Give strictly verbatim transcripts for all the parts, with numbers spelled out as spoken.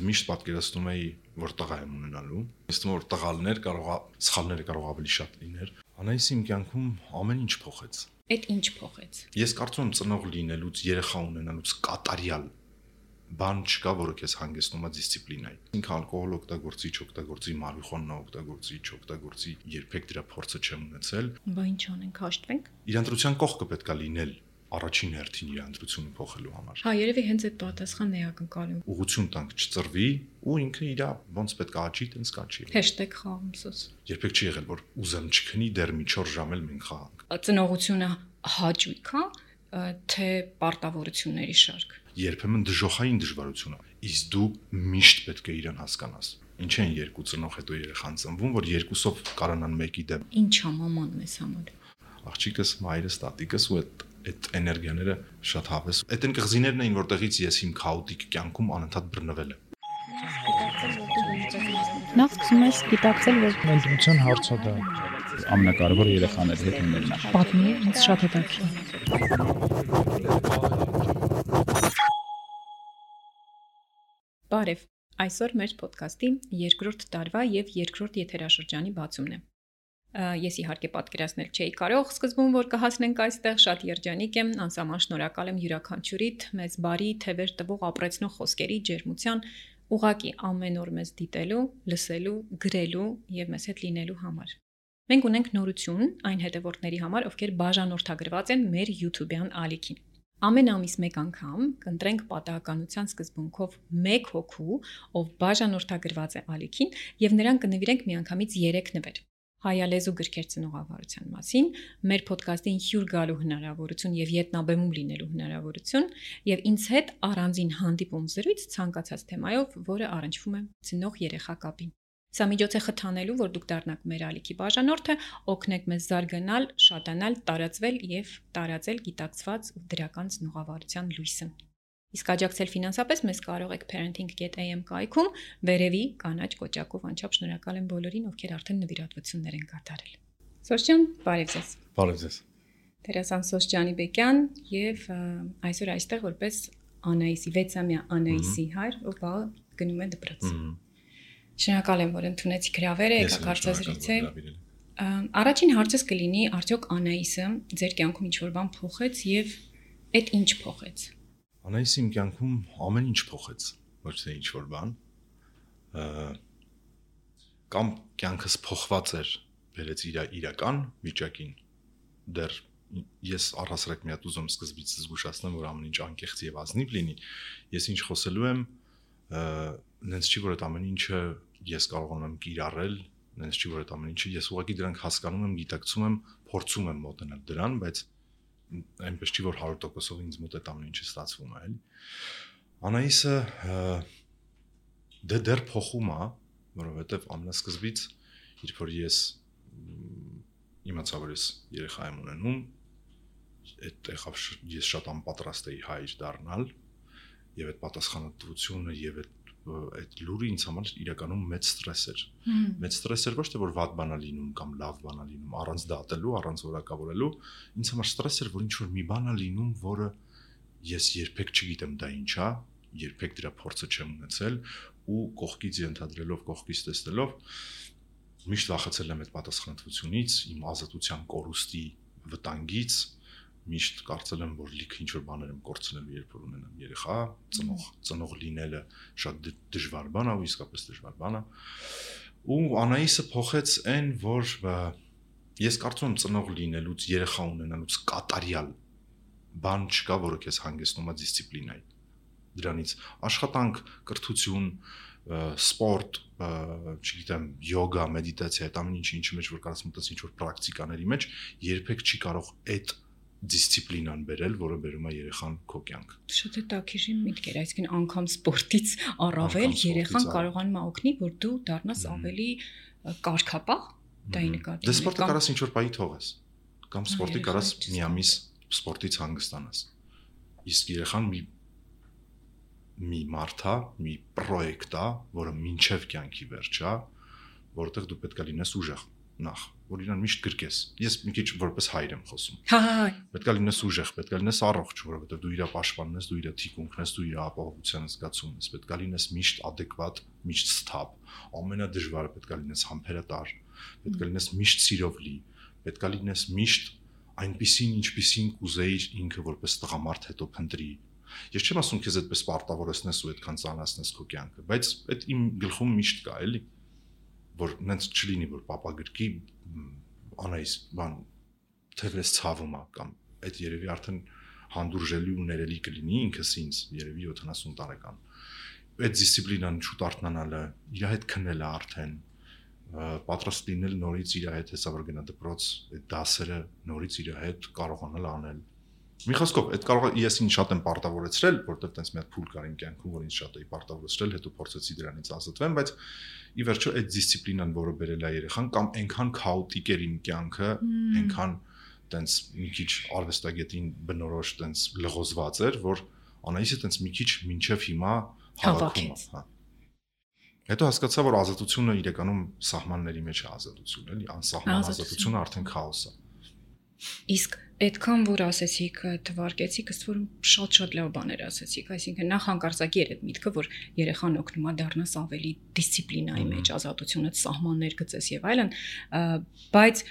միշտ պատկերացնում էի, որ տղա եմ ունենալու։ Ինձ թվում է, որ տղալներ կարող է սխալները կարող ավելի շատ լիներ։ Անայսը իմ կյանքում ամեն ինչ փոխեց։ Այդ ինչ փոխեց։ Ես կարծում եմ ծնող լինելուց, երեխա ունենալուց կատարյալ բան չկա, որը քեզ հանգեցնում է դիսցիպլինայի։ Ինքը ալկոհոլ օգտագործի, չօգտագործի, մարիխուանա օգտագործի, չօգտագործի, երբեք դրա փորձը չեմ ունեցել։ Բա ինչ անենք, հաշտվենք։ Իրանտրության կողքը պետք է լինել առաջին հերթին իրանտրությունը փոխելու համար։ Հա, երևի հենց այդ պատասխանն է ակնկալում։ Ուղղություն տանք չծրվի ու ինքը իր ոնց պետք է աճի, տենց կաճի։ #խաղումսոս։ Երբեք չի եղել, որ ուզեմ չքնի, դեռ մի չորս ժամ էլ մենք խաղանք։ Ծնողությունը հաճույք է, թե պարտավորությունների շարք։ Երբեմն դժոխային դժվարություն է, իսկ դու միշտ պետք է իրան հասկանաս։ Ինչ են երկու ծնող հետո երեխան ծնվում, որ երկուսով կարանան մեկի դեմ։ Ինչ է մաման մեզ համար։ Աղջիկս, մայրս, տատիկս ու այդ այդ էներգիաները շատ հավես։ Այդ են կղզիներն էին, որտեղից ես իմ քաոտիկ կյանքում անընդհատ բռնվել եմ։ Նախ սկսում ես գիտակցել, որ ընտրության հարցը դա ամենակարևորը երեխաների հետ ունենալն է։ պատմի, ինձ շատ հետաքրքիր։ Բարև, այսօր մեր ոդքասթի երկրորդ տարվա եւ երկրորդ եթերաշրջանի բացումն է։ Ես իհարկե պատկերացնել չէի կարող սկզբում, որ կհասնենք այստեղ, շատ երջանիկ եմ, անսահման շնորհակալ եմ յուրաքանչյուրիդ մեզ բարի, թևեր տվող ապրեցնող խոսքերի ջերմության, ուղղակի ամեն օր մեզ դիտելու, լսելու, գրելու եւ մեզ հետ լինելու համար։ Մենք ունենք նորություն այն հետևորդների համար, ովքեր բաժանորդագրված են մեր YouTube-յան ալիքին։ Ամեն ամիս մեկ անգամ կընտրենք պատահականության սկզբունքով մեկ հոգու, ով բաժանորդագրված է ալիքին, եւ նրան կնվիրենք միանգամից երեք նվեր։ Հայալեզու գրքեր ծնողավարության մասին, մեր ոդքասթին հյուր գալու հնարավորություն եւ ետնաբեմում լինելու հնարավորություն եւ ինձ հետ առանձին հանդիպում զրույց ցանկացած թեմայով, որը առնչվում է ծնող երեխա կապին։ Սա միջոց է խթանելու, որ դուք դառնաք մեր ալիքի բաժանորդը, օգնեք մեզ զարգանալ, շատանալ, տարածվել եւ տարածել գիտակցված ու դրական ծնողավարության լույսը։ Իսկ աջակցել ֆինանսապես մեզ կարող եք parenting dot a m կայքում վերևի կանաչ կոճակով անչափ շնորհակալ եմ բոլորին, ովքեր արդեն նվիրատվություններ են կատարել։ Սոշջան, բարև ձեզ։ Բարև ձեզ։ Տերասան Սոշջանի Բեկյան եւ այսօր այստեղ որպես Անայիսի վեցամյա Անայիսի հայր, ով բա գնում է դպրոց։ Շնորհակալ եմ, որ ընդունեցիք հրավերը, եկաք հարցազրույցել։ Առաջին հարցս կլինի, արդյոք Անայիսը ձեր կյանքում ինչ-որ բան փոխեց եւ այդ ինչ փոխեց։ Անայիսը իմ կյանքում ամեն ինչ փոխեց, ոչ թե ինչ-որ բան։ Կամ կյանքս փոխված էր, բերեց իր իրական վիճակին։ Դեռ ես առհասարակ մի հատ ուզում սկզբից զգուշացնեմ, որ ամեն ինչ անկեղծ եւ ազնիվ լինի։ Ես ինչ խոսելու եմ, նենց չի, որ այդ ամեն ինչը ես կարողանում եմ կիրառել, նենց չի, որ այդ ամեն ինչը ես ուղղակի դրանք հասկանում եմ, գիտակցում եմ, փորձում եմ մոտենալ դրան, բայց այնպես չի, որ հարյուր տոկոսով ինձ մոտ այդ ամեն ինչը ստացվում է, էլի։ Անայիսը դե դեռ փոխում է, որովհետև ամենասկզբից, երբ որ ես իմացա, որ ես երեխա եմ ունենում, այդտեղ ես շատ անպատրաստ էի հայր դառնալ, եւ այդ պատասխանատվությունը եւ այդ այդ լուրը ինձ համար իրականում մեծ ստրես էր։ Մեծ ստրես էր ոչ թե որ վատ բան է լինում կամ լավ բան է լինում, առանց դատելու, առանց որակավորելու, ինձ համար ստրես էր, որ ինչ որ մի բան է լինում, որը ես երբեք չգիտեմ դա ինչ է, երբեք դրա փորձը չեմ ունեցել ու կողքից ենթադրելով, կողքից տեսնելով միշտ վախեցել եմ այդ պատասխանատվությունից, իմ ազատության կորուստի վտանգից, միշտ կարծել եմ, որ լիքը ինչ-որ բաներ եմ կորցնելու, երբ որ ունենամ երեխա, ծնող, ծնող լինելը շատ դժվար բան է ու իսկապես դժվար բան է։ Ու Անայիսը փոխեց այն, որ ես կարծում եմ ծնող լինելուց, երեխա ունենալուց կատարյալ բան չկա, որը քեզ հանգեցնում է դիսցիպլինայի։ Դրանից աշխատանք, կրթություն, սպորտ, չգիտեմ, յոգա, մեդիտացիա, այդ ամեն ինչի ինչի մեջ որ կարաս մտած ինչ-որ պրակտիկաների մեջ, երբեք չի կարող այդ դիսցիպլինան բերել, որը բերում է երեխան քո կյանք։ Շատ է տակիրի միտք էր, այսինքն անգամ սպորտից առավել երեխան կարողանում է օգնի, որ դու դառնաս ավելի կարգապահ, դա ի նկատի։ Դե սպորտը կարաս ինչ-որ պահի թողես, կամ սպորտի կարաս մի ամիս սպորտից հանգստանաս։ Իսկ երեխան մի մի մարդ է, մի պրոյեկտ է, որը մինչև կյանքի վերջ է, որովհետև դու պետք է լինես ուժեղ նախ, որ իրան միշտ գրկես։ Ես մի քիչ որպես հայր եմ խոսում։ Հա, հա։ Պետք է լինես ուժեղ, պետք է լինես առողջ, որովհետև դու իր պաշտպանն ես, դու իր թիկունքն ես, դու իր ապահովության զգացումն ես, պետք է լինես միշտ adekvat, միշտ սթափ։ Ամենադժվարը պետք է լինես համբերատար, պետք է լինես միշտ սիրով լի, պետք է լինես միշտ այնպիսին, ինչպիսին կուզեիր ինքը որպես տղամարդ հետո փնտրի։ Ես չեմ ասում քեզ այդպես պարտավորեցնես ու այդքան ծանրացնես քո կյանքը, բայց այդ իմ գլխում միշտ կա, էլի, որ նենց չլինի, որ papa գրկի անայիս, բան թերես ցավում է կամ այդ երևի արդեն հանդուրժելի ու ներելի կլինի ինքս ինձ, երևի յոթանասուն տարեկան։ Այդ դիսցիպլինան շուտ արթնանալը, իր հետ քնելը արդեն պատրաստ լինել նորից իր հետ հեսա որ գնա դպրոց, այդ դասերը նորից իր հետ կարողանալ անել։ Մի խոսքով, այդ կարող է ես ինձ շատ եմ պարտավորեցրել, որտեղ տենց մի հատ փուլ կար իմ կյանքում, որ ինձ շատ էի պարտավորեցրել, հետո փորձեցի դրանից ազատվեմ, բայց ի վերջո այդ դիսցիպլինան, որը բերել է երեխան, կամ այնքան քաոտիկ էր իմ կյանքը, այնքան տենց մի քիչ արվեստագետին բնորոշ տենց լղոզված էր, որ Անահիսը տենց մի քիչ մինչև հիմա հավաքում է, հա։ Հետո հասկացա, որ ազատությունը իրականում սահմանների մեջ է ազատություն, էլի, անսահման ազատությունը արդեն քաոս է։ Իսկ այդքան որ ասեցիք, թվարկեցիք, ըստ որում շատ-շատ լավ բաներ ասեցիք, այսինքն նախ հանկարծակի էր այդ միտքը, որ երեխան օգնում է դառնաս ավելի դիսցիպլինայի մեջ, ազատությունը, սահմաններ գծես եւ այլն, բայց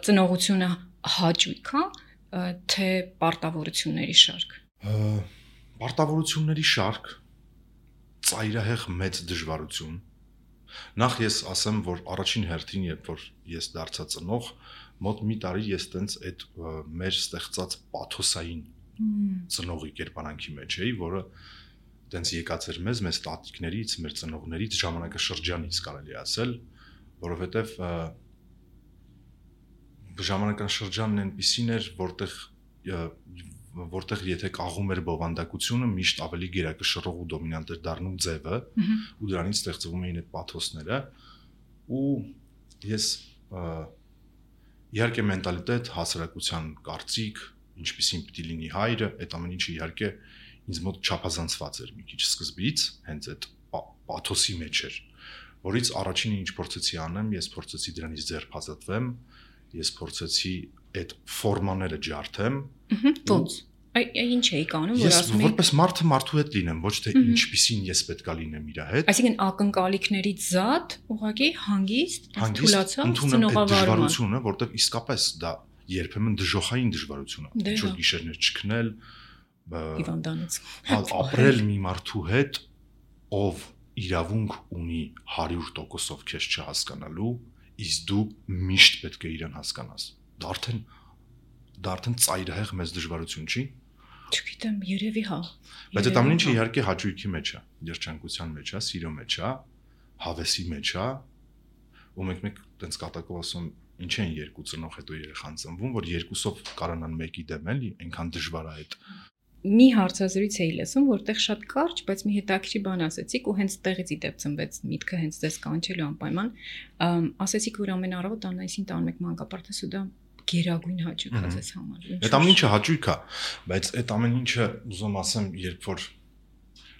ծնողությունը հաճույք է, թե պարտավորությունների շարք։ Պարտավորությունների շարք, ծայրահեղ մեծ դժվարություն։ Նախ ես ասեմ, որ առաջին հերթին, երբ որ ես դարձա ծնող, մոտ մի տարի ես տենց այդ մեր ստեղծած պաթոսային ծնողի կերպարանքի մեջ էի, որը տենց եկած էր մեզ, մեզ տատիկներից, մեր ծնողներից, ժամանակաշրջանից կարելի ասել, որովհետև ժամանակաշրջանն այնպիսին էր, որտեղ որտեղ եթե կաղում էր բովանդակությունը, միշտ ավելի գերակշռող ու դոմինանտ էր դառնում ձևը, ու դրանից ստեղծվում էին այդ պաթոսները, ու ես իհարկե մենտալիտետ, հասարակության կարծիք, ինչպիսին պիտի լինի հայրը, այդ ամեն ինչը իհարկե ինձ մոտ չափազանցված էր մի քիչ սկզբից, հենց այդ պաթոսի մեջ էր, որից առաջինը ինչ փորձեցի անեմ, ես փորձեցի դրանից ձեռք ազատվեմ, ես փորձեցի այդ ֆորմաները ջարդեմ։ Ոնց։ Ինչ էիք անում, որ ասում եք։ Ես որպես մարդը մարդու հետ լինեմ, ոչ թե ինչպիսին ես պետքա լինեմ իր հետ։ Այսինքն ակնկալիքներից զատ, ուղղակի հանգիստ, թուլացած, ծնողավարումը, որտեղ իսկապես դա երբեմն դժոխային դժվարություն է։ Ինչ որ գիշերներ չքնել, հիվանդանոց։ Ապրել մի մարդու հետ, ով իրավունք ունի հարյուր տոկոսով քեզ չհասկանալու, իսկ դու միշտ պետք է իրեն հասկանաս։ Դա արդեն դա արդեն ծայրահեղ մեծ դժվարություն չի։ Չգիտեմ, երևի հա։ Բայց այդ ամեն ինչը իհարկե հաճույքի մեջ է, երջանկության մեջ է, սիրո մեջ է, հավեսի մեջ է, ու մեկ-մեկ տենց կատակով ասում, ինչ են երկու ծնող հետո երեխան ծնվում, որ երկուսով կարանան մեկի դեմ էլի, այնքան դժվար է այդ։ Մի հարցազրույց էի լսում, որտեղ շատ կարճ, բայց մի հետաքրքիր բան ասեցիք ու հենց տեղից ի դեպ ծնվեց միտքը հենց դες կանչելու անպայման, ասեցիք, որ ամեն առավոտ Անահիսին տանում եք մանկապարտեզ ու դա գերագույն հաճույք է ձեզ համար։ Այդ ամեն ինչը հաճույք է, բայց այդ ամեն ինչը ուզում ասեմ, երբ որ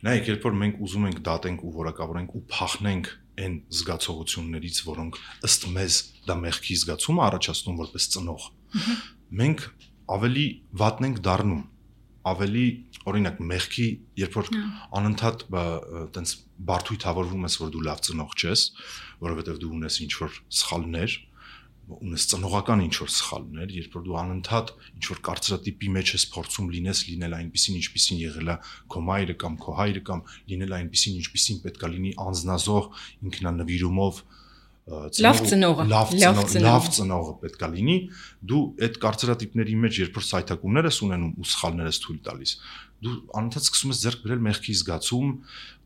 նայեք, երբ որ մենք ուզում ենք դատենք ու որակավորենք ու փախնենք այն զգացողություններից, որոնք ըստ մեզ դա մեղքի զգացում է առաջացնում որպես ծնող, մենք ավելի վատն ենք դառնում, ավելի օրինակ մեղքի, երբ որ անընդհատ տենց բարդույթավորվում ես, որ դու լավ ծնող չես, որովհետև դու ունես ինչ-որ սխալներ, ունես ծնողական ինչ-որ սխալներ, երբ որ դու անընդհատ ինչ-որ կարծրատիպի մեջ ես փորձում լինես, լինել այնպիսին, ինչպիսին եղել է քո մայրը կամ քո հայրը կամ լինել այնպիսին, ինչպիսին պետք է լինի անձնազոհ, ինքնանվիրումով, լավ ծնողը, լավ ծնողը պետք է լինի, դու այդ կարծրատիպների մեջ երբ որ սայթակումներ ես ունենում ու սխալներ ես թույլ տալիս, դու անընդհատ սկսում ես ձեռք բերել մեղքի զգացում,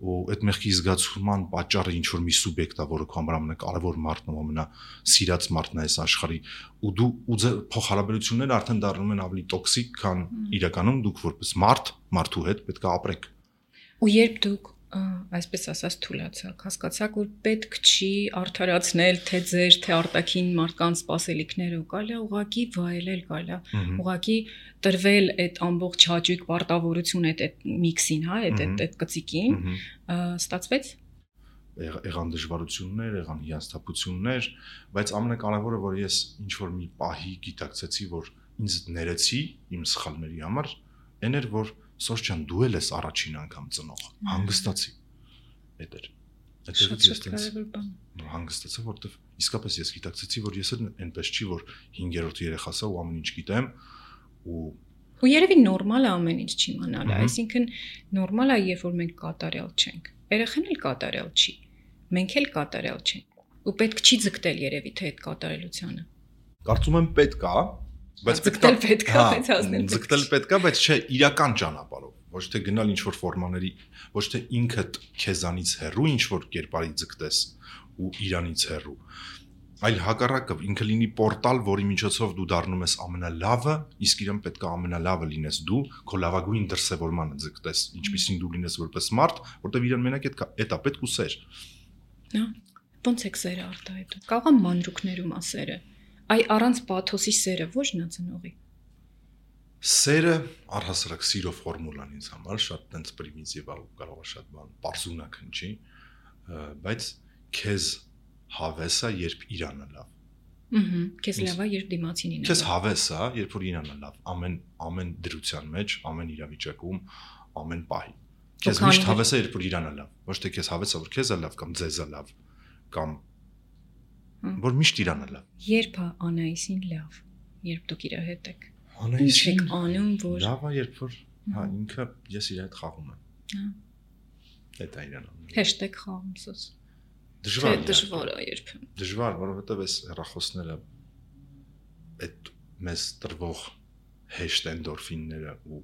ու այդ մեղքի զգացման պատճառը ինչ որ մի սուբյեկտ է, որը քո համար ամենակարևոր մարդն է, ամենասիրած մարդն է այս աշխարհի, ու դու ու ձեր փոխհարաբերությունները արդեն դառնում են ավելի տոքսիկ, քան իրականում դուք որպես մարդ, մարդու հետ պետք է ապրեք։ Ու երբ դուք այսպես ասած թուլացաք, հասկացաք, որ պետք չի արդարացնել թե ձեր, թե արտաքին մարդկանց սպասելիքները, ու կարելի է ուղղակի վայելել, կարելի է ուղղակի տրվել այդ ամբողջ հաճույք, պարտավորություն այդ այդ միքսին, հա, այդ այդ այդ կծիկին, ստացվեց։ եղան դժվարություններ, եղան հիասթափություններ, բայց ամենակարևորը, որ ես ինչ որ մի պահի գիտակցեցի, որ ինձ ներեցի իմ սխալների համար, այն էր, որ Սոս ջան, դու էլ ես առաջին անգամ ծնող, հանգստացի։ Այդ էր։ Այդտեղից ես տենց հանգստացա, որովհետև իսկապես ես գիտակցեցի, որ ես էլ այնպես չի, որ հինգերորդ երեխասա ու ամեն ինչ գիտեմ ու ու երևի նորմալ է ամեն ինչ չիմանալը, այսինքն նորմալ է, երբ որ մենք կատարյալ չենք։ Երեխան էլ կատարյալ չի։ Մենք էլ կատարյալ չենք։ Ու պետք չի ձգտել երևի թե այդ կատարելությանը։ Կարծում եմ պետք է, բայց ձգտել պետք է, բայց հասնել։ Ձգտել պետք է, բայց չէ իրական ճանապարհով, ոչ թե գնալ ինչ որ ֆորմաների, ոչ թե ինքդ քեզանից հեռու ինչ որ կերպարի ձգտես ու իրանից հեռու, այլ հակառակը ինքը լինի պորտալ, որի միջոցով դու դառնում ես ամենալավը, իսկ իրեն պետք է ամենալավը լինես դու, քո լավագույն դրսևորմանը ձգտես, ինչպեսին դու լինես որպես մարդ, որտեղ իրեն մենակ այդ էտա պետք ու սեր։ Հա, ոնց է սերը արտահայտում։ Կարող է մանրուքներում ասերը։ Այ առանց պաթոսի սերը ո՞րն է ծնողի։ Սերը առհասարակ սիրո ֆորմուլան ինձ համար շատ տենց պրիմիտիվ է ու կարող է շատ բան պարզունակ հնչի, բայց քեզ հավես է, երբ իրանը լավ։ Ահա, քեզ լավ է, երբ դիմացին ինը։ Քեզ հավես է, երբ որ իրանը լավ, ամեն ամեն դրության մեջ, ամեն իրավիճակում, ամեն պահի։ Քեզ միշտ հավես է, երբ որ իրանը լավ, ոչ թե քեզ հավես է, որ քեզ է լավ կամ ձեզ է լավ, կամ որ միշտ իրանը լավ։ Երբ է Անայիսին լավ, երբ դուք իր հետ եք։ Անայիսին եք անում, որ լավ է, երբ որ հա ինքը ես իր հետ խաղում եմ։ Հա։ Դա է իրան անում։ Hashtag խաղում սոս։ Դժվար է, դժվար է երբեմն։ Դժվար, որովհետև այս հեռախոսները այդ մեզ տրվող հեշտ էնդորֆինները ու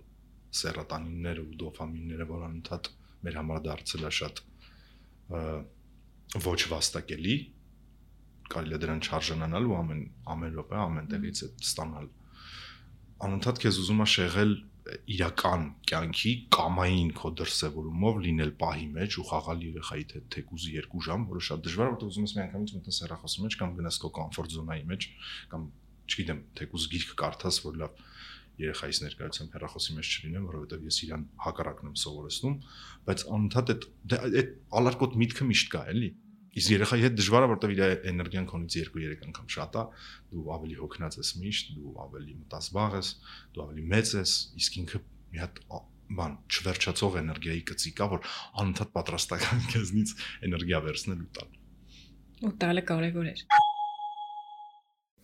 սերոտոնինները ու դոֆամինները, որ անընդհատ մեր համար դարձել է շատ ոչ վաստակելի, կարելի է դրան չարժանանալ ու ամեն ամեն րոպե ամեն տեղից է ստանալ։ Անընդհատ քեզ ուզում է շեղել իրական կյանքի կամային քո դրսևորումով լինել պահի մեջ ու խաղալ երեխայի հետ թեկուզի երկու ժամ, որը շատ դժվար է, որտեղ ուզում ես միանգամից մտնես հեռախոսի մեջ կամ գնաս քո կոմֆորտ զոնայի մեջ կամ չգիտեմ, թեկուզ գիրք կարդաս, որ լավ երեխայիս ներկայությամբ հեռախոսի մեջ չլինեմ, որովհետև ես իրան հակառակն եմ սովորեցնում, բայց անընդհատ այդ այդ ալարկոտ միտքը միշտ կա, էլի։ Իսկ երեխայի հետ դժվար է, որտեղ իր էներգիան քոնից երկու-երեք անգամ շատ է, դու ավելի հոգնած ես միշտ, դու ավելի մտածբաղ ես, դու ավելի մեծ ես, իսկ ինքը մի հատ բան չվերջացող էներգիայի կծիկ է, որ անընդհատ պատրաստական քեզնից էներգիա վերցնել ու տալ։ Ու տալը կարևոր է։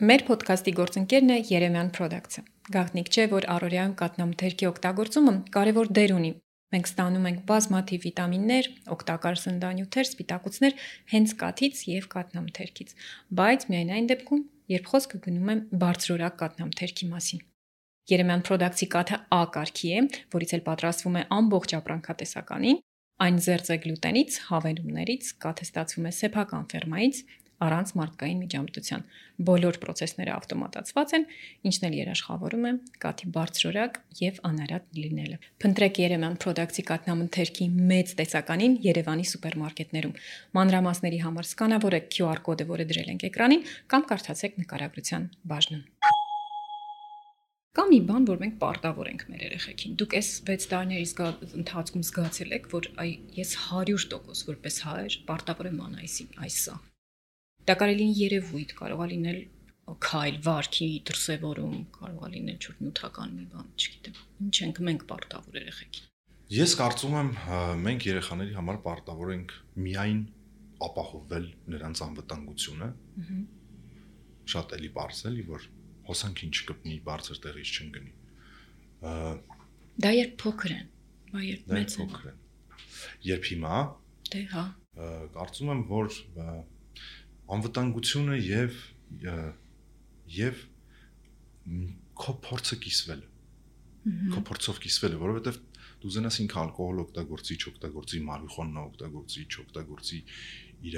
Մեր ոդքասթի գործընկերն է Երեմյան Products-ը։ Գաղտնիք չէ, որ առօրյայում կաթնամթերքի օգտագործումը կարևոր դեր ունի։ Մենք ստանում ենք բազմաթիվ վիտամիններ, օգտակար սննդանյութեր, սպիտակուցներ հենց կաթից եւ կաթնամթերքից, բայց միայն այն դեպքում, երբ խոսքը գնում է բարձրորակ կաթնամթերքի մասին։ Երեմյան Products-ի կաթը A կարգի է, որից էլ պատրաստվում է ամբողջ ապրանքատեսականին, այն զերծ է գլուտենից, հավելումներից, կաթը ստացվում է սեփական ֆերմայից, առանց մարդկային միջամտության։ Բոլոր process-ները ավտոմատացված են, ինչն էլ երաշխավորում է կաթի բարձրորակ եւ անարատ լինելը։ Փնտրեք Երեմյան Products-ի կաթնամթերքի մեծ տեսականին Երևանի սուպերմարկետներում։ Մանրամասների համար սկանավորեք Q R կոդը, որը դրել ենք էկրանին, կամ կարդացեք նկարագրության բաժնում։ Կամ մի բան, որ մենք պարտավոր ենք մեր երեխեքին։ Դուք այս վեց տարիների ընթացքում զգացել եք, որ այ ես հարյուր տոկոս որպես հայր պարտավոր եմ Անայիսին այսա։ Դա կարող է լինել երևույթ, կարող է լինել քայլ, վարքի դրսևորում, կարող է լինել չոր նյութական մի բան, չգիտեմ։ Ինչ ենք մենք պարտավոր երեխեքին։ Ես կարծում եմ մենք երեխաների համար պարտավոր ենք միայն ապահովել նրանց անվտանգությունը։ Շատ էլի բարձր էլի, որ հոսանքին չկպնի, բարձր տեղից չընկնի։ Դա երբ փոքր են, բա երբ մեծ են։ Երբ հիմա։ Դե հա։ Կարծում եմ, որ անվտանգությունը եւ եւ քո փորձը կիսվելը։ Քո փորձով կիսվելը, որովհետեւ դու զենաս ինքը ալկոհոլ օգտագործի, չօգտագործի, մարիխուանա օգտագործի, չօգտագործի, իր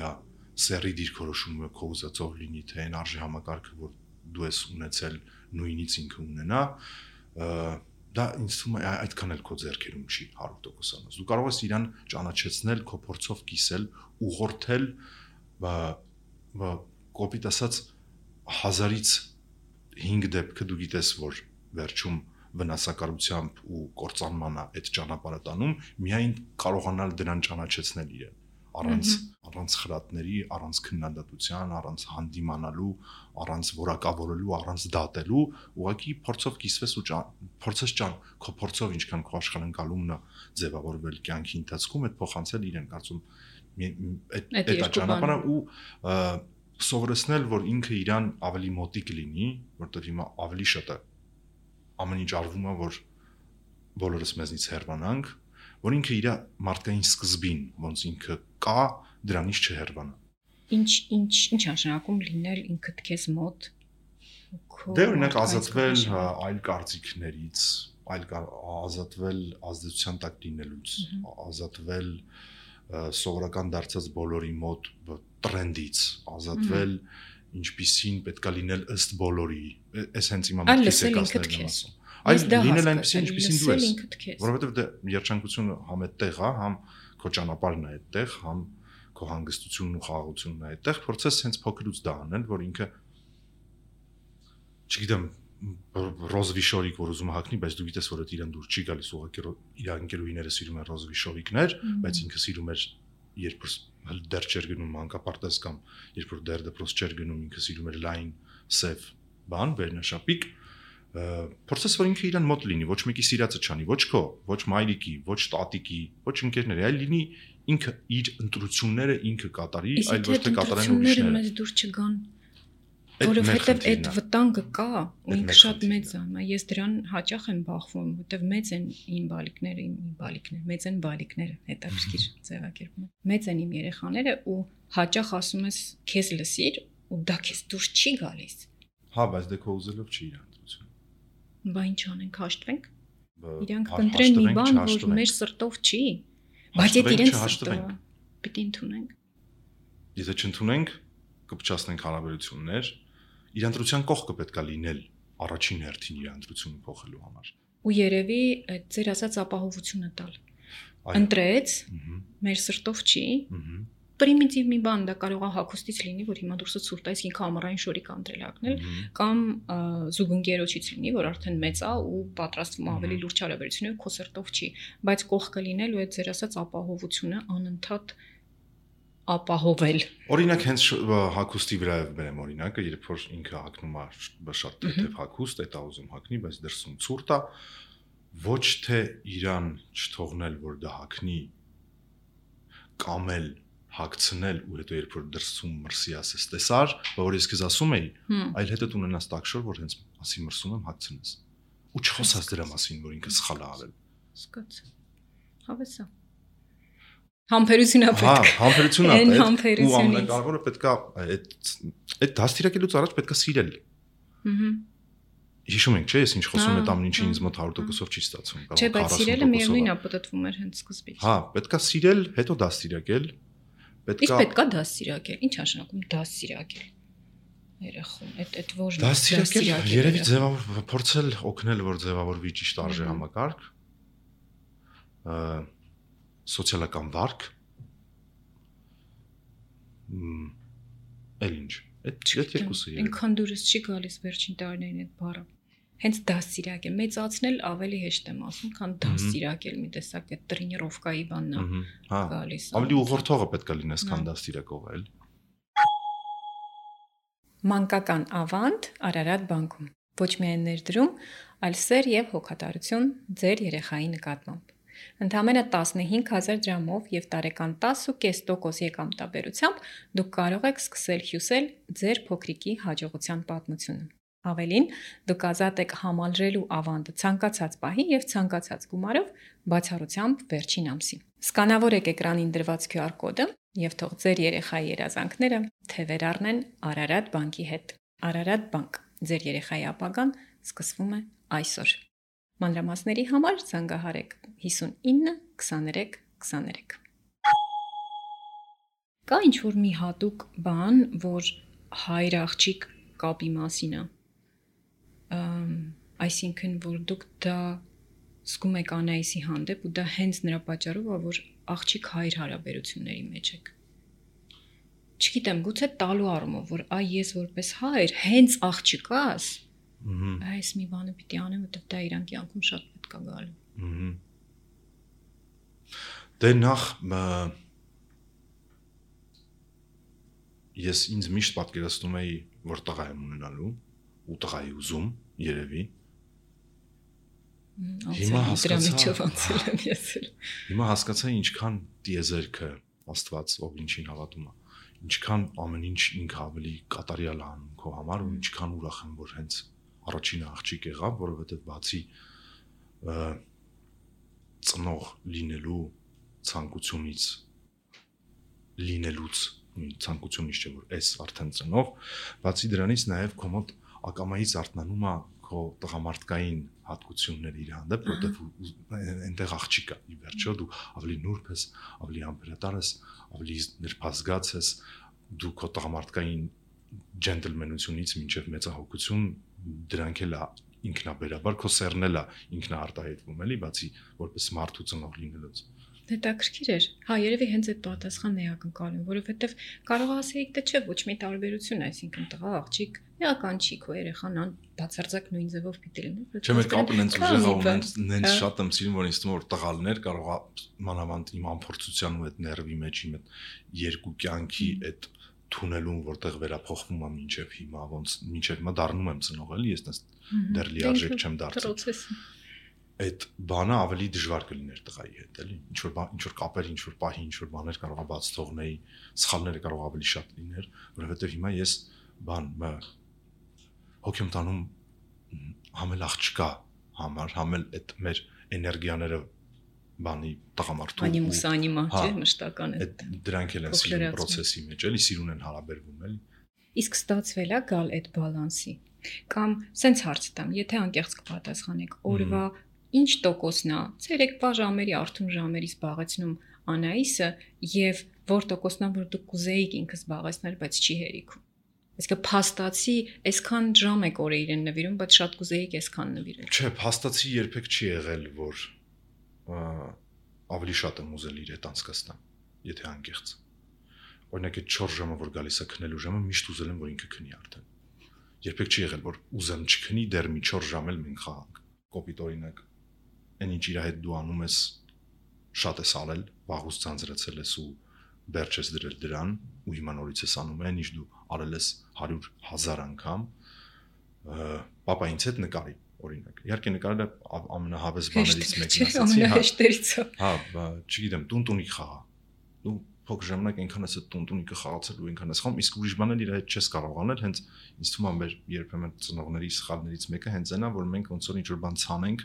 սերի դիրքորոշումը քո ուզածով լինի, թե այն արժի համակարգը, որ դու ես ունեցել նույնից ինքը ունենա, դա ինձ թվում է այդքան էլ քո ձեռքերում չի հարյուր տոկոս։ Դու կարող ես իրան ճանաչեցնել, քո փորձով կիսել, ուղղորդել, բա կոպիտ ասած հազարից հինգ դեպքը դու գիտես, որ վերջում վնասակարությամբ ու կործանման է այդ ճանապարհը տանում, միայն կարողանալ դրան ճանաչեցնել իրեն։ առանց առանց խրատների, առանց քննադատության, առանց հանդիմանալու, առանց որակավորելու, առանց դատելու, ուղղակի փորձով կիսվես ու փորձես ճան, քո փորձով ինչքան քո աշխարհընկալումն է ձևավորվել կյանքի ընթացքում, այդ փոխանցել իրեն, կարծում այդ այդ ճանապարհը ու սովորեցնել, որ ինքը իրան ավելի մոտիկ լինի, որտեղ հիմա ավելի շատ է ամեն ինչ արվում է, որ բոլորս մեզնից հեռանանք, որ ինքը իր մարդկային սկզբին, ոնց ինքը կա, դրանից չհեռվանա։ Ինչ ինչ ինչ նշանակում լինել ինքդ քեզ մոտ։ Դե օրինակ ազատվել այլ կարծիքներից, այլ ազատվել ազդեցության տակ լինելուց, ազատվել սովորական դարձած բոլորի մոտ տրենդից, ազատվել ինչպիսին պետքա լինել ըստ բոլորի, այս հենց իմ ամենքիսեկացներն եմ ասում։ Այլ լինել այնպեսին ինչպիսին դու ես, որովհետև դե երջանկությունը համ այդտեղ է, համ քո ճանապարհն է այդտեղ, համ քո հանգստությունն ու խաղաղությունն է այդտեղ, փորձես հենց փոքրուց դա անել, որ ինքը չգիտեմ ռոզվիշորիկ որ ուզում հագնի, բայց դու գիտես որ դա իրան դուր չի գալիս, ուղղակի իր ընկերուհիները սիրում են ռոզվիշորիկներ, բայց ինքը սիրում էր երբ որ դեռ չէր գնում մանկապարտեզ կամ երբ որ դեռ դպրոց չէր գնում, ինքը սիրում էր լայն սև բան, վերնաշապիկ, փորձես որ ինքը իրան մոտ լինի, ոչ մեկի սիրածը չանի, ոչ քո, ոչ մայրիկի, ոչ տատիկի, ոչ ընկերների, այլ լինի ինքը իր ընտրությունները ինքը կատարի, այլ ոչ թե կատարեն ուրիշները։ Մեզ դուր չգան, որովհետև այդ վտանգը կա, ու ինքը շատ մեծ է, ես դրան հաճախ եմ բախվում, որովհետև մեծ են իմ բալիկները, իմ բալիկները, մեծ են բալիկները, հետաքրքիր ձևակերպում։ Մեծ են իմ երեխաները ու հաճախ ասում ես քեզ լսիր ու դա քեզ դուրս չի գալիս։ Հա, բայց դե քո ուզելով չի իր ընտրությունը։ Բա ինչ անենք, հաշտվենք։ Իրանք կընտրեն մի բան, որ մեր սրտով չի, բայց այդ իրենց սրտով պիտի ընդունենք։ Եթե չընդունենք, կփչացնենք հարաբերություններ, իր ընտրության կողքը պետքա լինել առաջին հերթին իր ընտրությունը փոխելու համար։ Ու երևի այդ ձեր ասած ապահովությունը տալ։ Ընտրեց, մեր սրտով չի։ Պրիմիտիվ մի բան դա կարող է հագուստից լինի, որ հիմա դուրսը ցուրտ է, ինքը ամառային շորիկ անդրել ակնել, կամ զուգընկերոջից լինի, որ արդեն մեծ է ու պատրաստվում ավելի լուրջ հարաբերություններ քո սրտով չի, բայց կողքը լինել ու այդ ձեր ասած ապահովությունը անընդհատ ապահովել։ Օրինակ հենց հագուստի վրայով բերեմ օրինակը, երբ որ ինքը հագնում է շատ թեթև հագուստ, դա ուզում հագնի, բայց դրսում ցուրտ է, ոչ թե իրան չթողնել, որ դա հագնի, կամել հագցնել ու հետո երբ որ դրսում մրսի ասես տեսար, որ ես քեզ ասում էի, այլ հետո դու ունենաս տակշոր, որ հենց ասի մրսում եմ հագցնես։ Ու չխոսած դրա մասին, որ ինքը սխալ է արել։ Սկացա։ Հավեսա։ Համբերությունա պետք։ Հա, համբերությունա պետք։ Ու ամենակարևորը պետքա այդ այդ դաստիարակելուց առաջ պետքա սիրել։ Ահա։ Հիշում եք, չէ՞, ես ինչ խոսում եմ, ամեն ինչը ինձ մոտ հարյուր տոկոսով չի ստացվում, կարող է քառասուն տոկոսով։ Չէ, բայց սիրելը միևնույնն է, պատտվում էր հենց սկզբից։ Հա, պետքա սիրել, հետո դաստիարակել։ Պետքա Իսկ պետքա դաստիարակել։ Ինչ նշանակում դաստիարակել։ Երախում, այդ այդ ոչ դաստիարակել, երևի ձևավոր փորձել օգնել, որ ձևավորվի ճիշտ արժե համակարգ։ Սոցիալական վարք էլ ինչ այդ երկուսը երևի ինքան դուրս չի գալիս վերջին տարիներին այդ բառը հենց դաստիարակել մեծացնել ավելի հեշտ եմ ասում քան դաստիարակել մի տեսակ այդ տրենիրովկայի բանն է գալիս ավելի ուղղորդողը պետք է լինես քան դաստիարակողը էլ մանկական ավանդ Արարատ բանկում ոչ միայն ներդրում այլ սեր եւ հոգատարություն ձեր երեխայի նկատմամբ Ընդամենը տասնհինգ հազար դրամով եւ տարեկան տասը կես տոկոս եկամտաբերությամբ դուք կարող եք սկսել հյուսել ձեր փոքրիկի հաջողության պատմությունը։ Ավելին, դուք ազատ եք համալրելու ավանդը ցանկացած պահի եւ ցանկացած գումարով բացառությամբ վերջին ամսին։ Սկանավորեք էկրանին դրված քյու ար կոդը եւ թող ձեր երեխայի երազանքները թևեր առնեն Արարատ բանկի հետ։ Արարատ բանկ, ձեր երեխայի ապագան սկսվում է այսօր։ Մանրամասների համար զանգահարեք հիսունինը քսաներեք քսաներեք Կա ինչ-որ մի հատուկ բան, որ հայր աղջիկ կապի մասին է, այսինքն, որ դուք դա զգում եք Անայիսի հանդեպ ու դա հենց նրա պատճառով է, որ աղջիկ հայր հարաբերությունների մեջ եք։ Չգիտեմ, գուցե տալու առումով, որ այ ես որպես հայր հենց աղջիկաս Այս մի բանը պիտի անեմ, որտեղ դա իրան կյանքում շատ պետք է գալու։ Դե նախ ես ինձ միշտ պատկերացնում էի, որ տղա եմ ունենալու ու տղայի ուզում երևի։ Հիմա հասկացա, հիմա հասկացա ինչքան տիեզերքը Աստված ով ինչին հավատում է, ինչքան ամեն ինչ ինքը ավելի կատարյալ է անում քո համար ու ինչքան ուրախ եմ, որ հենց առաջին աղջիկ եղավ, որովհետև բացի ծնող լինելու ցանկությունից լինելուց ցանկությունից չէ որ այս արդեն ծնող, բացի դրանից նաև քո մոտ ակամայից արթնանում է քո տղամարդկային հատկությունները իր հանդեպ, որովհետև այնտեղ աղջիկ է, ի վերջո դու ավելի նուրբ ես, ավելի ամբերատար ես, ավելի նրբազգաց ես, դու քո տղամարդկային ջենտլմենությունից մինչև մեծահոգություն դրանք էլ ինքնաբերաբար քո սերն էլ է ինքնաարտահայտվում էլի, բացի որպես մարդու ծնող լինելուց։ Հետաքրքիր էր։ Հա, երևի հենց այդ պատասխանն է ակնկալում, որովհետև կարող ասեիք թե չէ, ոչ մի տարբերություն, այսինքն տղա, աղջիկ, էական չի քո երեխան, ան բացարձակ նույն ձևով պիտի լինի։ Չէ, մեր կապն հենց ուժեղ ու հենց շատ եմ սիրում, որ ինձ թվում որ տղալներ կարող է մանավանդ իմ ամփորձության ու այդ ներվի մեջ իմ այդ երկու կյանքի այդ թունելում, որտեղ վերափոխվում է մինչև հիմա, ոնց մինչև հիմա դառնում եմ ծնող էլի, ես դեռ լիարժեք չեմ դարձել։ Այդ բանը ավելի դժվար կլիներ տղայի հետ, էլի, ինչ որ ինչ որ կապեր, ինչ որ պահի, ինչ որ բաներ կարող է բաց թողնեի, սխալները կարող ավելի շատ լիներ, որովհետև հիմա ես բան հոգեմ տանում համել աղջկա համար, համել այդ մեր էներգիաները բանի տղամարդու անիմուս անիմա, չէ, մշտական է։ Դրանք էլ են սիրուն process-ի մեջ, էլի սիրուն են հարաբերվում, էլի։ Իսկ ստացվել է գալ այդ բալանսի։ Կամ սենց հարց տամ, եթե անկեղծ կպատասխանեք, օրվա ինչ տոկոսն է ցերեկ ժամերի արթուն ժամերից զբաղեցնում Անայիսը եւ որ տոկոսն է որ դուք կուզեիք ինքը զբաղեցնել, բայց չի հերիքում։ Այսինքն փաստացի այսքան ժամ եք օրը իրեն նվիրում, բայց շատ կուզեիք այսքան նվիրել։ Չէ, փաստացի երբեք չի եղել, որ ավելի շատ եմ ուզել իր հետ անցկացնեմ, եթե անկեղծ։ Օրինակ այդ չորս ժամը որ գալիս է քնելու ժամը, միշտ ուզել եմ որ ինքը քնի արդեն։ Երբեք չի եղել որ ուզեմ չքնի, դեռ մի չորս ժամ էլ մենք խաղանք։ Կոպիտ օրինակ այն ինչ իր հետ դու անում ես շատ ես արել, վաղուց ցանցրացել ես ու վերջ ես դրել դրան ու հիմա նորից ես անում այն ինչ դու արել ես հարյուր հազար անգամ, պապա ինձ հետ նկարի օրինակ։ Իհարկե նկարելը ամենահավես բաներից մեկն ասացի, հա, հա, չգիտեմ, տունտունիկ խաղա։ Դու փոքր ժամանակ այնքան ես այդ տունտունիկը խաղացել ու այնքան ես խաղում, իսկ ուրիշ բաներ իր հետ չես կարող անել, հենց ինձ թվում է մեր երբեմն ծնողների սխալներից մեկը հենց այնա, որ մենք ոնց որ ինչ-որ բան ցանենք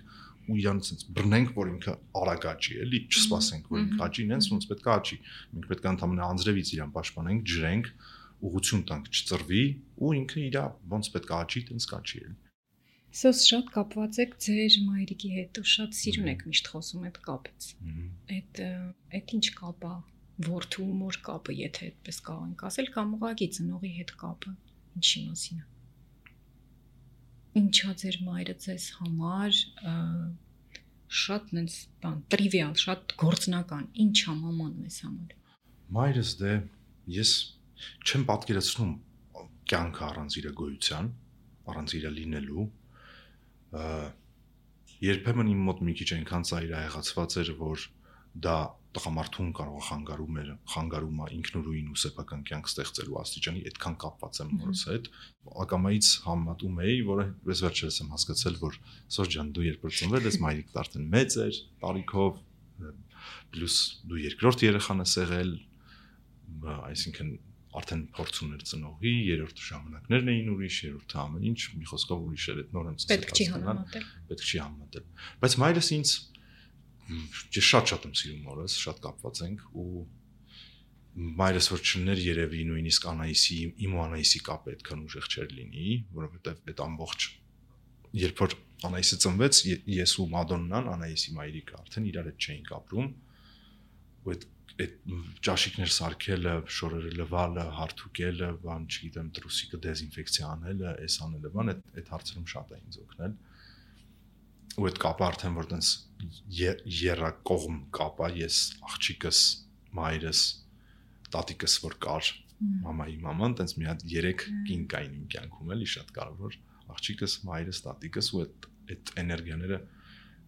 ու իրանց sense բռնենք, որ ինքը արագ աճի, էլի, չսպասենք, որ ինքը աճի, ինձ ոնց պետք է աճի։ Մենք պետք է ընդհանրապես անձրևից իրան պաշտպանենք, ջրենք, ուղղություն տանք, չծրվի ու ինքը իր ոնց պետք է աճի, տենց կաճի, էլի։ Սոս շատ կապված եք ձեր մայրիկի հետ ու շատ սիրուն եք միշտ խոսում այդ կապից։ Այդ այդ ինչ կապ է, որդու մոր կապը, եթե այդպես կարող ենք ասել, կամ ուղղակի ծնողի հետ կապը, ինչի մասին է։ Ինչա ձեր մայրը ձեզ համար շատ նենց բան տրիվիալ, շատ գործնական, ինչ է մաման մեզ համար։ Մայրս դե ես չեմ պատկերացնում կյանքը առանց իր գոյության, առանց իր լինելու։ Երբեմն իմ մոտ մի քիչ այնքան ծայրահեղացված էր, որ դա տղամարդուն կարող է խանգարում էր, խանգարում է ինքնուրույն ու սեփական կյանք ստեղծելու աստիճանի, այդքան կապված եմ որս հետ։ Ակամայից համատում էի, որը ես վերջերս եմ հասկացել, որ Սոր ջան, դու երբ որ ծնվել ես, մայրիկդ արդեն մեծ էր, տարիքով, պլյուս դու երկրորդ երեխան ես եղել, այսինքն արդեն փորձ ուներ ծնողի, երրորդ ժամանակներն էին ուրիշ, երրորդը ամեն ինչ, մի խոսքով ուրիշ էր, այդ նոր եմ սկսել։ Պետք չի համեմատել։ Պետք չի համեմատել։ Բայց մայրս ինձ Ես շատ-շատ եմ սիրում օրս, շատ կապված ենք ու մայրս որ չներ երևի նույնիսկ Անայիսի, իմ ու Անայիսի կապը այդքան ուժեղ չէր լինի, որովհետև այդ ամբողջ երբ որ Անայիսը ծնվեց, ես ու Մադոննան, Անայիսի մայրիկը արդեն իրար հետ չէինք ապրում, ու այդ այդ ճաշիկներ սարքելը, շորերը լվալը, հարթուկելը, բան, չգիտեմ, տրուսիկը դեզինֆեկցիա անելը, այս անելը, բան, այդ այդ հարցերում շատ է ինձ օգնել։ Ու այդ կապը արդեն որ տենց երակողմ կապա, ես աղջիկս, մայրս, տատիկս որ կար, մամայի մաման, տենց մի հատ երեք կին կային իմ կյանքում էլի շատ կարևոր, աղջիկս, մայրս, տատիկս ու այդ այդ էներգիաները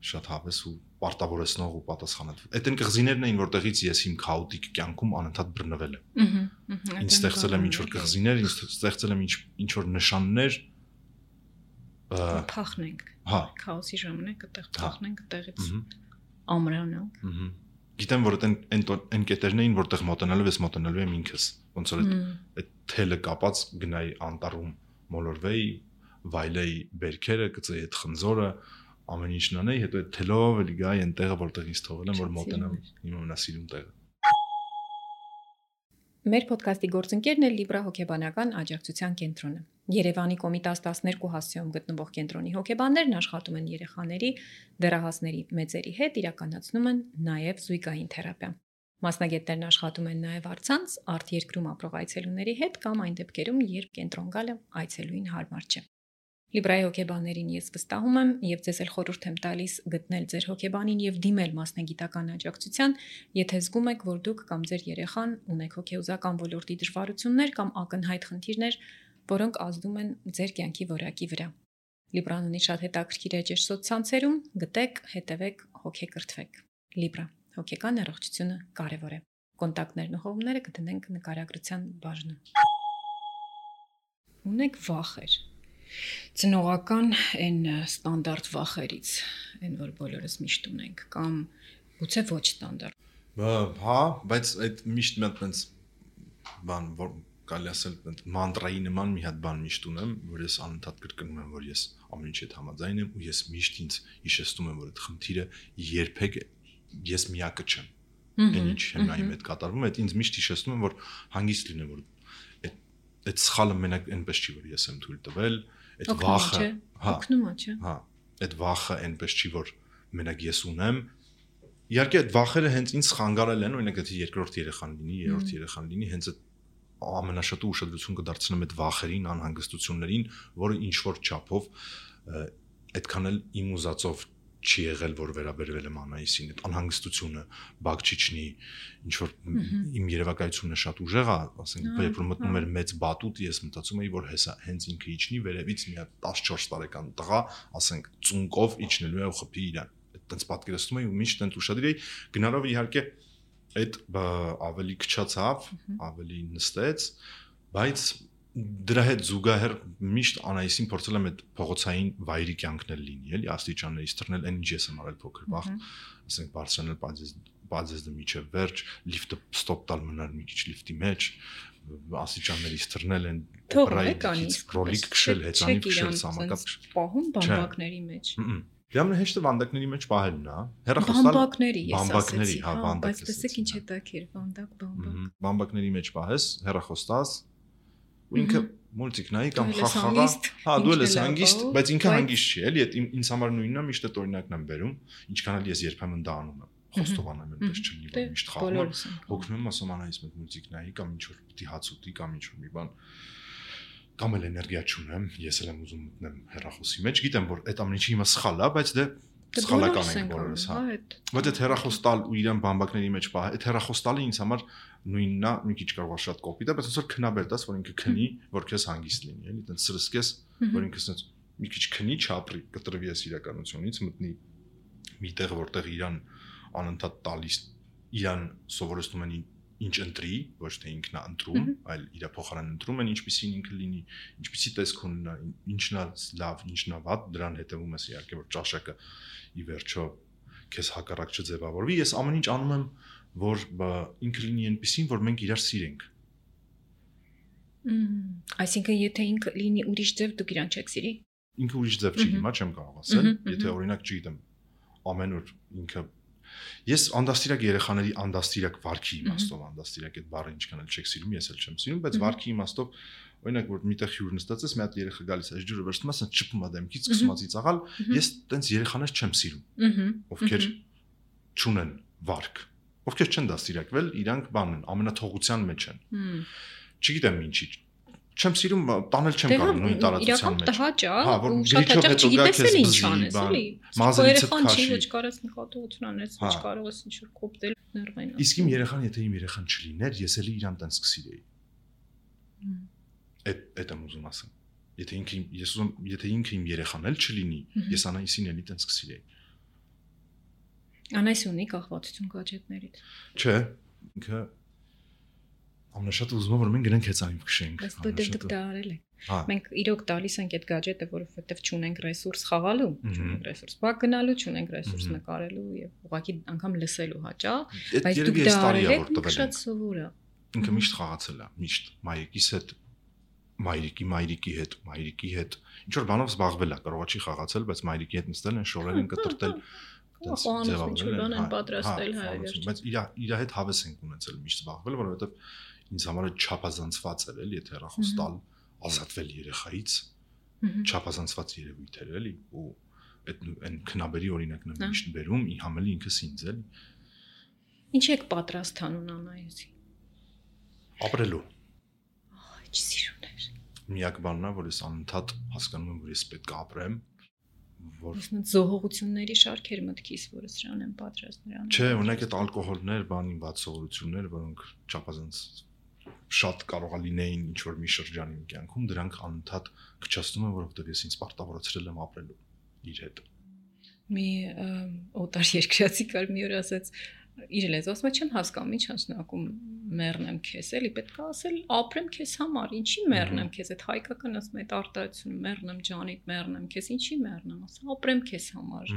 շատ հավես ու պարտավորեցնող ու պատասխանատու։ Այդ այն կղզիներն էին, որտեղից ես իմ քաոտիկ կյանքում անընդհատ բռնվել եմ։ Ահա։ Ինչ ստեղծել եմ ինչ որ կղզիներ, ինչ ստեղծել եմ ինչ ինչ որ նշաններ փախնենք։ Հա։ Քաոսի ժամանակ այդտեղ փախնենք, այդտեղից Ահա։ ամրանանք։ Ահա։ Գիտեմ, որ այդ այն այն կետերն էին, որտեղ մոտենալով ես մոտենալու եմ ինքս։ Ոնց որ այդ թելը կապած գնայի անտառում մոլորվեի, վայլեի բերքերը, գծեի այդ խնձորը, ամեն ինչն անեի, հետո այդ թելով էլի գայի այն տեղը, որտեղ ինձ թողել են, որ մոտենամ իմ ամենասիրուն տեղը։ Մեր ոդքասթի գործընկերն է Libra հոգեբանական աջակցության կենտրոնը։ Երևանի Կոմիտաս տասներկու հասցեում գտնվող կենտրոնի հոգեբաններն աշխատում են երեխաների, դեռահասների, մեծերի հետ, իրականացնում են նաև զույգային թերապիա։ Մասնագետներն աշխատում են նաև առցանց արտերկրում ապրող այցելուների հետ կամ այն դեպքերում, երբ կենտրոն գալը այցելուին հարմար չէ։ Լիբրայի հոգեբաններին ես վստահում եմ եւ ձեզ էլ խորհուրդ եմ տալիս գտնել ձեր հոգեբանին եւ դիմել մասնագիտական աջակցության, եթե զգում եք, որ դուք կամ ձեր երեխան ունեք հոգեուզական ոլորտի դժվարություններ կամ ակնհայտ խնդիրներ, որոնք ազդում են ձեր կյանքի որակի վրա։ Լիբրան ունի շատ հետաքրքիր էջեր սոցցանցերում, գտեք, հետևեք, հոգեկրթվեք։ Լիբրա, հոգեկան առողջությունը կարևոր է։ Կոնտակտներն ու հողումները կդնենք նկարագրության բաժնում։ Ունեք վախեր։ Ծնողական այն ստանդարտ վախերից, այն որ բոլորս միշտ ունենք, կամ գուցե ոչ ստանդարտ։ Հա, բայց այդ միշտ մի հատ այնց բան, որ կարելի ասել մանտրայի նման մի հատ բան միշտ ունեմ, որ ես անընդհատ կրկնում եմ, որ ես ամեն ինչի հետ համաձայն եմ ու ես միշտ ինձ հիշեցնում եմ, որ այդ խնդիրը երբեք ես միակը չեմ։ Այն ինչ հենայի հետ կատարվում է, այդ ինձ միշտ հիշեցնում եմ, որ հանգիստ լինեմ, որ այդ այդ սխալը մենակ այնպես չի, որ ես եմ թույլ տվել, այդ վախը, հա, օգնում է, չէ։ Հա, այդ վախը այնպես չի, որ մենակ ես ունեմ։ Իհարկե այդ վախերը հենց ինձ խանգարել են, օրինակ եթե երկրորդ երեխան լինի, երրորդ երեխան լինի, հենց այդ ամենաշատը ուշադրություն կդարձնեմ այդ վախերին, անհանգստություններին, որը ինչ որ չափով այդքան էլ իմ ուզածով չի եղել, որ վերաբերվել եմ Անահիսին, այդ անհանգստությունը, բակ չիջնի, ինչ որ իմ երևակայությունը շատ ուժեղ է, ասենք, երբ որ մտնում էր մեծ բատուտ, ես մտածում էի, որ հեսա հենց ինքը իջնի, վերևից մի հատ տասնչորս տարեկան տղա, ասենք, ծունկով իջնելու է ու խփի իրան։ Այդտենց պատկերացնում էի ու միշտ այնտ ուշադիր էի, գնալով իհարկե այդ ավելի քչացավ, ավելի նստեց, բայց դրա հետ զուգահեռ միշտ Անահիսին փորձել եմ այդ փողոցային վայրի կյանքն լինի, էլի աստիճաններից թռնել, այն ինչ ես եմ արել փոքր բախ, ասենք բարձրանալ բարձեզը միջև վերջ, լիֆտը ստոպ տալ մնալ մի քիչ լիֆտի մեջ, աստիճաններից թռնել են օպերայից ռոլիկ քշել, հեծանիվ քշել, սամակատ պահում բամբակների մեջ։ Դե ամենահեշտը վանդակների մեջ պահելն է, հեռախոսալ բամբակների, ես բամբակների, հա, ասեցի, բայց տեսեք ինչ հետաքրքիր, վանդակ, բամբակ։ Բամբակների մեջ պահես, հեռախոս տաս, ու ինքը մուլտիկ նայի կամ խաղ խաղա, հա, դու ես հանգիստ, բայց ինքը հանգիստ չի, էլի, այդ ինձ համար նույնն է, միշտ այդ օրինակն եմ բերում, ինչքան էլ ես երբեմն դա անում եմ, խոստովանում եմ, այնպես չլինի, որ միշտ խաղում եմ, հոգնում եմ, ասում Անահիս մեկ մուլտիկ նայի կամ ինչ որ պիտի հաց ուտի կամ ինչ որ մի բան, կամ էլ էներգիա չունեմ, ես էլ եմ ուզում մտնեմ հեռախոսի մեջ, գիտեմ, որ այդ ամեն ինչի հիմա սխալ է, բայց դե սխալական ենք բոլորս, հա։ Բայց այդ հեռախոս տալ ու իրան բամբակների մեջ պահ, այդ հեռախոս տալը ինձ համար նույնն է, մի քիչ կարող է շատ կոպիտ է, բայց ոնց որ քնաբեր տաս, որ ինքը քնի, որ քեզ հանգիստ լինի, էլի, այդպես սրսկես, որ ինքը ասած մի քիչ քնի, չապրի, կտրվի ես իրականությունից, մտնի մի տեղ, որտեղ իրան անընդհատ տալիս, իրան սովորեցնում են ինչ ընտրի, ոչ թե ինքն է ընտրում, այլ իր փոխարեն ընտրում են, ինչպիսին ինքը լինի, ինչպիսի տեսք ունենա, ինչն է լավ, ինչն է վատ, դրան հետևում ես իհարկե, որ ճաշակը ի վերջո քեզ հակառակ չձևավորվի։ Ես ամեն ինչ անում եմ, որ ինքը լինի այնպիսին, որ մենք իրար սիրենք։ Այսինքն, եթե ինքը լինի ուրիշ ձև, դուք իրան չեք սիրի։ Ինքը ուրիշ ձև չի, հիմա չեմ կարող ասել, եթե օրինակ չգիտեմ, ամեն օր ինքը Ես անդաստիրակ երեխաների անդաստիրակ վարքի իմաստով անդաստիրակ այդ բառը ինչքան էլ չեք սիրում, ես էլ չեմ սիրում, բայց վարքի իմաստով օրինակ որ միտեղ հյուր նստած ես, մի հատ երեխա գալիս է, ջուրը վերցնում ես, չփում է դեմքից, սկսում է ծիծաղալ, ես տենց երեխաներ չեմ սիրում, ովքեր չունեն վարք, ովքեր չեն դաստիրակվել, իրանք բանն են, ամենաթողության մեջ են։ Չգիտեմ ինչի չեմ սիրում, տանել չեմ կարող նույն տարածության մեջ։ Տհաճ է, հա, որ շատ հաճախ չգիտես էլ ինչ անես, էլի։ Մազերիցդ քաշի, քաշի, ոչ կարես նկատողություն անես, ոչ կարող ես ինչ-որ կոպտել ներվային։ Իսկ իմ երեխան, եթե իմ երեխան չլիներ, ես էլի իրան տենց կսիրեի։ Այդ այդ եմ ուզում ասեմ։ Եթե ինքը ես ուզում, եթե ինքը իմ երեխան էլ չլինի, ես Անահիսին էլի տենց կսիրեի։ Անայս ունի կախվածություն գadgetներից։ Չէ, ինքը ամենաշատը ուզում է որ մենք գնանք հեծանիվ քշենք։ Բայց դու դուք դա արել եք։ Հա։ Մենք իրոք տալիս ենք այդ գadget-ը, որովհետև չունենք ռեսուրս խաղալու, չունենք ռեսուրս բակ գնալու, չունենք ռեսուրս նկարելու եւ ուղղակի անգամ լսելու հաճա, բայց դուք դա արել եք շատ սովոր է։ Ինքը միշտ խաղացել է, միշտ մայրիկիս հետ, մայրիկի մայրիկի հետ, մայրիկի հետ, ինչ որ բանով զբաղվել է, կարող է չի խաղացել, բայց մայրիկի հետ նստել են, շորել են, կտրտել, տենց ձևավորել են, պատրաստել հայեր։ Բայց իր իր հետ հավես ենք ունեցել միշտ զբաղվել, որովհետեւ ինձ համար է չափազանցված էր, էլի, եթե հեռախոս տալ, ազատվել երեխայից, չափազանցված երևույթ էր, էլի, ու այդ այն քնաբերի օրինակն եմ միշտ բերում, ի համելի ինքս ինձ, էլի։ Ինչ եք պատրաստ անուն Անայուսի։ Ապրելու։ Ահա, սիրուներ։ Միակ բանն է, որ ես անընդհատ հասկանում եմ, որ ես պետք է ապրեմ, որ Ոսնա զոհողությունների շարքեր մտքիս, որը սրան են պատրաստ նրան։ Չէ, ունեք այդ ալկոհոլներ, բանի բացողություններ, որոնք չափազանց շատ կարող է լինեին ինչ որ մի շրջանի իմ կյանքում, դրանք անընդհատ քչացնում են, որովհետև ես ինձ պարտավորացրել եմ ապրելու իր հետ։ Մի օտար երկրացի կար մի օր ասաց իր լեզվով ասում չեմ հասկանում ինչ անցնակում մեռնեմ քեզ էլի պետք է ասել ապրեմ քեզ համար ինչի մեռնեմ քեզ այդ հայկական ասում այդ արտահայտությունը մեռնեմ ջանիդ մեռնեմ քեզ ինչի մեռնեմ ասա ապրեմ քեզ համար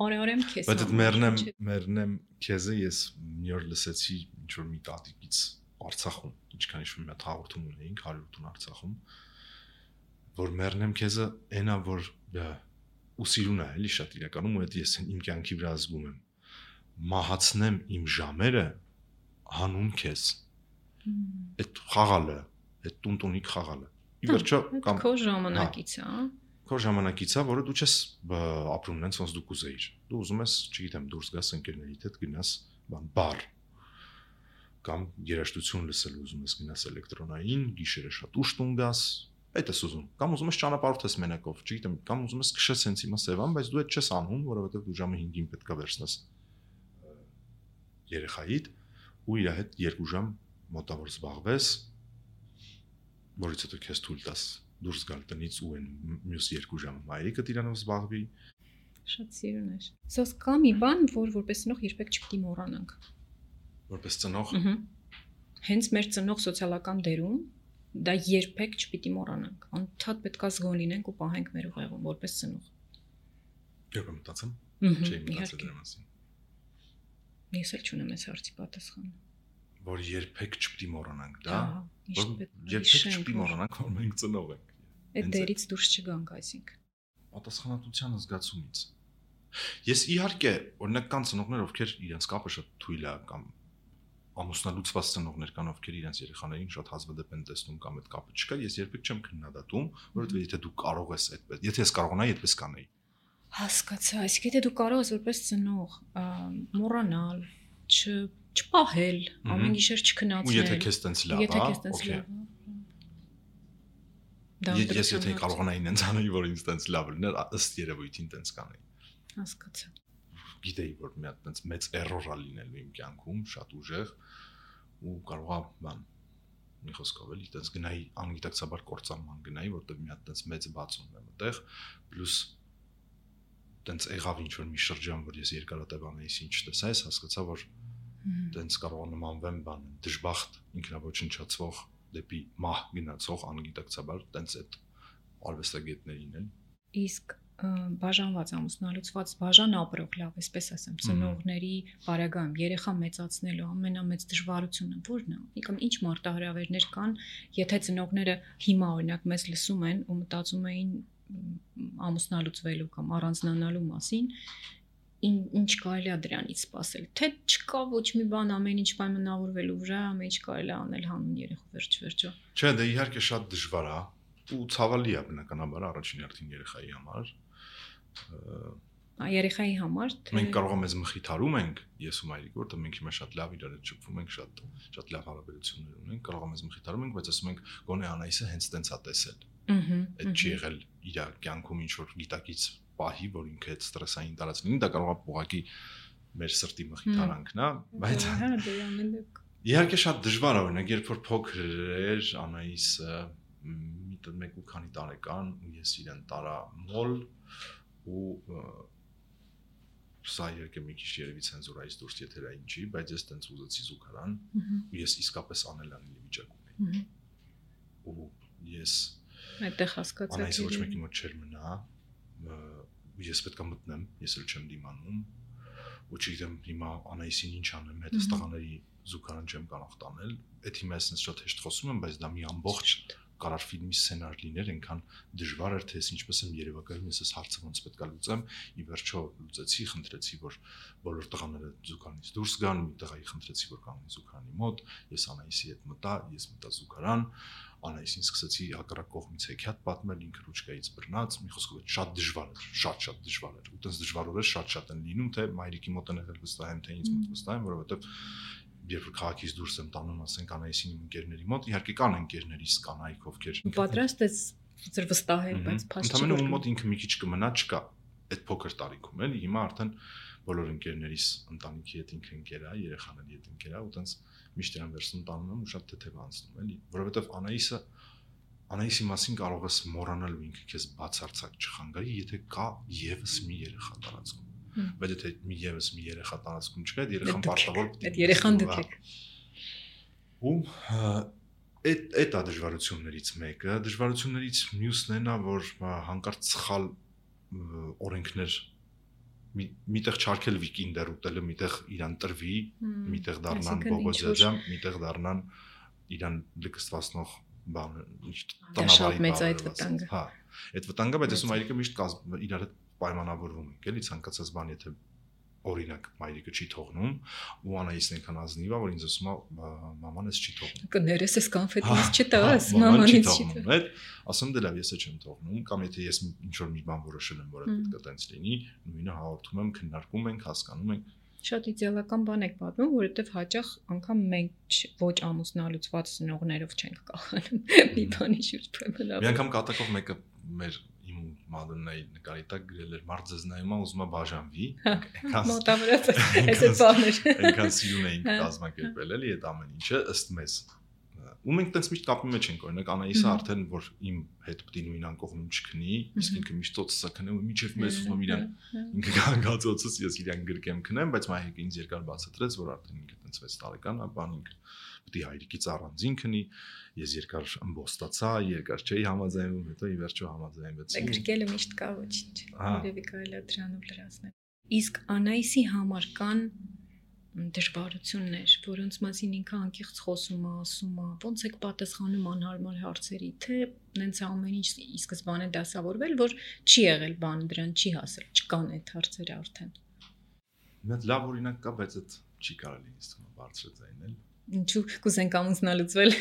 արարեմ քեզ բայց այդ մեռնեմ մեռնեմ քեզը ես մի օր լսեցի ինչ որ մի տատիկից Արցախում ինչքան ինչ-որ մի հատ հաղորդում ունեինք հարյուր տուն Արցախում որ մեռնեմ քեզը այնա որ ու սիրուն է էլի շատ իրականում ու այդ ես իմ կյանքի վրա զգում եմ մահացնեմ իմ ժամերը հանուն քեզ այդ խաղալը այդ տունտունիկ խաղալը ի վերջո կամ քո ժամանակից է քո ժամանակից է որը դու չես ապրում նենց ոնց դու կուզեիր դու ուզում ես չգիտեմ դուրս գաս ընկերներիդ հետ գնաս բան բար կամ երաժշտություն լսել ուզում ես գնաս էլեկտրոնային գիշերը շատ ուշ տուն գաս այդ ես ուզում կամ ուզում ես ճանապարհորդես մենակով չգիտեմ կամ ուզում ես քշես հենց հիմա Սևան բայց դու այդ չես անում որովհետև դու ժամը հինգին պետք է վերցնես երեխայիդ ու իր հետ երկու ժամ մոտավոր զբաղվես որից հետո քեզ թույլ տաս դուրս գալ տնից ու այն մյուս երկու ժամը մայրիկդ իրանով զբաղվի շատ սիրուն է սոս կա մի բան որ որպես ծնող երբեք չպետք է մոռանանք որպես ծնող հենց մեր ծնող սոցիալական դերում դա երբեք չպիտի մոռանանք անընդհատ պետք է զգոն լինենք ու պահենք մեր ուղեղում որպես ծնող երբ մտածեմ չէի մտածել դրա մասին ես էլ չունեմ այս հարցի պատասխանը որ երբեք չպիտի մոռանանք դա երբեք չպիտի մոռանանք որ մենք ծնող ենք այդ դերից դուրս չգանք այսինքն պատասխանատվության զգացումից ես իհարկե օրինակ կան ծնողներ ովքեր իրենց կապը շատ թույլ է կամ ամուսնալուծված ծնողներ կան ովքեր իրենց երեխաներին շատ հազվադեպ են տեսնում կամ այդ կապը չկա ես երբեք չեմ քննադատում որովհետեւ եթե դու կարող ես այդպես եթե ես կարողանայի այդպես կանեի հասկացա այսինքն եթե դու կարող ես որպես ծնող մոռանալ չպահել ամեն գիշեր չքնացնել ու եթե քեզ տենց լավ եթե քեզ տենց լավ դա ես եթե կարողանայի ինձ անել որ ինձ տենց լավ լիներ ըստ երևույթին տենց կանեի հասկացա գիտեի որ մի հատ տենց մեծ էրոր է լինելու իմ կյանքում շատ ուժեղ ու կարողա բան մի խոսքով էլի տենց գնայի անգիտակցաբար կործանման գնայի որտեղ մի հատ տենց մեծ բացում եմ այդտեղ պլյուս տենց եղավ ինչ որ մի շրջան որ ես երկարատևան էի ինչ տեսա ես հասկացա որ տենց կարող նմանվեմ բան դժբախտ ինքնաոչնչացվող դեպի մահ գնացող անգիտակցաբար տենց այդ արվեստագետներին էլ իսկ բաժանված ամուսնալուծված բաժան ապրող լավ այսպես ասեմ ծնողների բարագայում երեխա մեծացնելու ամենամեծ դժվարությունը ո՞րն է կամ ինչ մարտահրավերներ կան եթե ծնողները հիմա օրինակ մեզ լսում են ու մտածում էին ամուսնալուծվելու կամ առանձնանալու մասին ինչ կարելի է դրանից սпасել թե չկա ոչ մի բան ամեն ինչ պայմանավորվելու վրա ամեն ինչ կարելի է անել հանուն երեխու վերջ վերջո չէ դա իհարկե շատ դժվար է ու ցավալի է բնականաբար առաջին հերթին երեխայի համար երեխայի համար թե մենք կարող ենք մեզ մխիթարում ենք ես ու մայրիկը որտեղ մենք հիմա շատ լավ իրար հետ շփվում ենք շատ շատ լավ հարաբերություններ ունենք կարող ենք մեզ մխիթարում ենք բայց ասում ենք գոնե Անայիսը հենց տենց է տեսել այդ չի եղել իր կյանքում ինչ որ գիտակից պահի որ ինքը այդ ստրեսային տարածքին դա կարող է ուղղակի մեր սրտի մխիթարանքն է բայց իհարկե շատ դժվար է օրինակ երբ որ փոքր էր Անայիսը մի մեկ ու քանի տարեկան ու ես իրեն տարա մոլ ու սա երկը մի քիչ երևի ցենզուրայից դուրս եթերային չի, բայց ես տենց ուզեցի զուգարան, ու ես իսկապես անելանելի վիճակում էի։ Ու ես այդտեղ հասկացա։ Անայս ոչ մեկի մոտ չէր մնա, ես պետք է մտնեմ, ես էլ չեմ դիմանում, ու չգիտեմ հիմա Անայսին ինչ անեմ, հետս տղաների զուգարան չեմ կարող տանել, այդ հիմա ես ինձ շատ հեշտ խոսում եմ, բայց դա մի ամբողջ կարար ֆիլմի սցենար լիներ, այնքան դժվար էր, թե ես ինչպես եմ երևակայում, ես այս հարցը ոնց պետք է լուծեմ, ի վերջո լուծեցի, խնդրեցի, որ բոլոր տղաները զուգարանից դուրս գան, մի տղայի խնդրեցի, որ կանգնի զուգարանի մոտ, ես Անայսի հետ մտա, ես մտա զուգարան, Անայսին սկսեցի հակառակ կողմից հեքիաթ պատմել, ինքը ռուչկայից բռնած, մի խոսքով շատ դժվար էր, շատ-շատ դժվար էր, ու տես դժվար օրեր շատ-շատ են լինում, թե մայրիկի մոտ են եղել վստահ եմ, թե ինձ մոտ վստահ եմ, որովհետև երբ որ քաղաքից դուրս եմ տանում, ասենք Անայսին իմ ընկերների մոտ, իհարկե կան ընկերներիս կանայք, ովքեր պատրաստ ես ծր վստահել, բայց փաստ չի։ Ընդհանրապես մոտ ինքը մի քիչ կմնա, չկա այդ փոքր տարիքում էլի, հիմա արդեն բոլոր ընկերներիս ընտանիքի հետ ինքը ընկեր է, երեխաների հետ ընկեր է, ու տենց միշտ իրան վերցնում տանում եմ ու շատ թեթև անցնում էլի, որովհետև Անայսը Անայսի մասին կարող ես մոռանալ ու ինքը քեզ բացարձակ չխանգարի, եթե կա եւս մի երեխա տարածքում։ Բայց եթե մի եւս մի երեխա տարածքում չկա, այդ երեխան պարտավոր պետք է այդ երեխան դուք ու այդ այդ է դժվարություններից մեկը, դժվարություններից մյուսն է նա, որ հանկարծ սխալ օրենքներ միտեղ չարկել վիկինդեր ուտելը, միտեղ իրան տրվի, միտեղ դառնան բողոջաջամ, միտեղ դառնան իրան լկստվացնող բան, տնավարի մեծ այդ վտանգը։ Հա, այդ վտանգը, բայց ասում Մայրիկը միշտ իրար հետ պայմանավորվում ենք, էլի ցանկացած բան, եթե օրինակ Մայրիկը չի թողնում, ու Անայիսն այնքան ազնիվ է, որ ինձ ասում է մաման էս չի թողնում։ Կներես էս կոնֆետից չտաս, մամանից չի թողնում։ Այդ ասում դե լավ, ես չեմ թողնում, կամ եթե ես ինչ որ մի բան որոշել եմ, որ պետք է տենց լինի, նույնը հաղորդում եմ, քննարկում ենք, հասկանում ենք։ Շատ իդեալական բան եք պատմում, որովհետև հաճախ անգամ մենք ոչ ամուսնալուծված ծնողներով չենք կախանում մի բանի շուրջ պայմանավորվում։ Մի անգամ կատակով մեկը մեր իմ Մադոննայի նկարի տակ գրել էր մարդ ձեզ նայում է ուզում է բաժանվի, մոտավորապես այս բաներ այնքան սիրուն էինք կազմակերպել էլի այդ ամեն ինչը ըստ մեզ։ Ու մենք տենց միշտ կապի մեջ ենք, օրինակ Անայիսը արդեն որ իմ հետ պետք է նույն անկողնում չքնի, իսկ ինքը միշտ ծոցը քնեմ ու միջև մեզ ուզում իրան ինքը գանգացոցս ես իրան գրկեմ քնեմ, բայց մայրիկը ինձ երկար բացատրեց, որ արդեն ինքը տենց վեց տարեկան է, բան ինքը պետք է հայրիկից առանձին քնի, ես երկար ըմբոստացա, երկար չէի համաձայնվում, հետո ի վերջո համաձայնվեցի։ Գրկելը միշտ կա ոչինչ, երևի կարելի է դրանով լրացնել։ Իսկ Անայիսի համար կան դժվարություններ, որոնց մասին ինքը անկեղծ խոսում է, ասում է, ոնց եք պատասխանում անհարմար հարցերի, թե նենց ամեն ինչ ի սկզբանե դասավորվել, որ չի եղել բան, դրան չի հասել, չկան այդ հարցերը արդեն։ Մեծ լավ օրինակ կա, բայց այդ չի կարելի ինձ թվում բարձր ձայնել։ Ինչու կուզենք ամուսնալուծվել։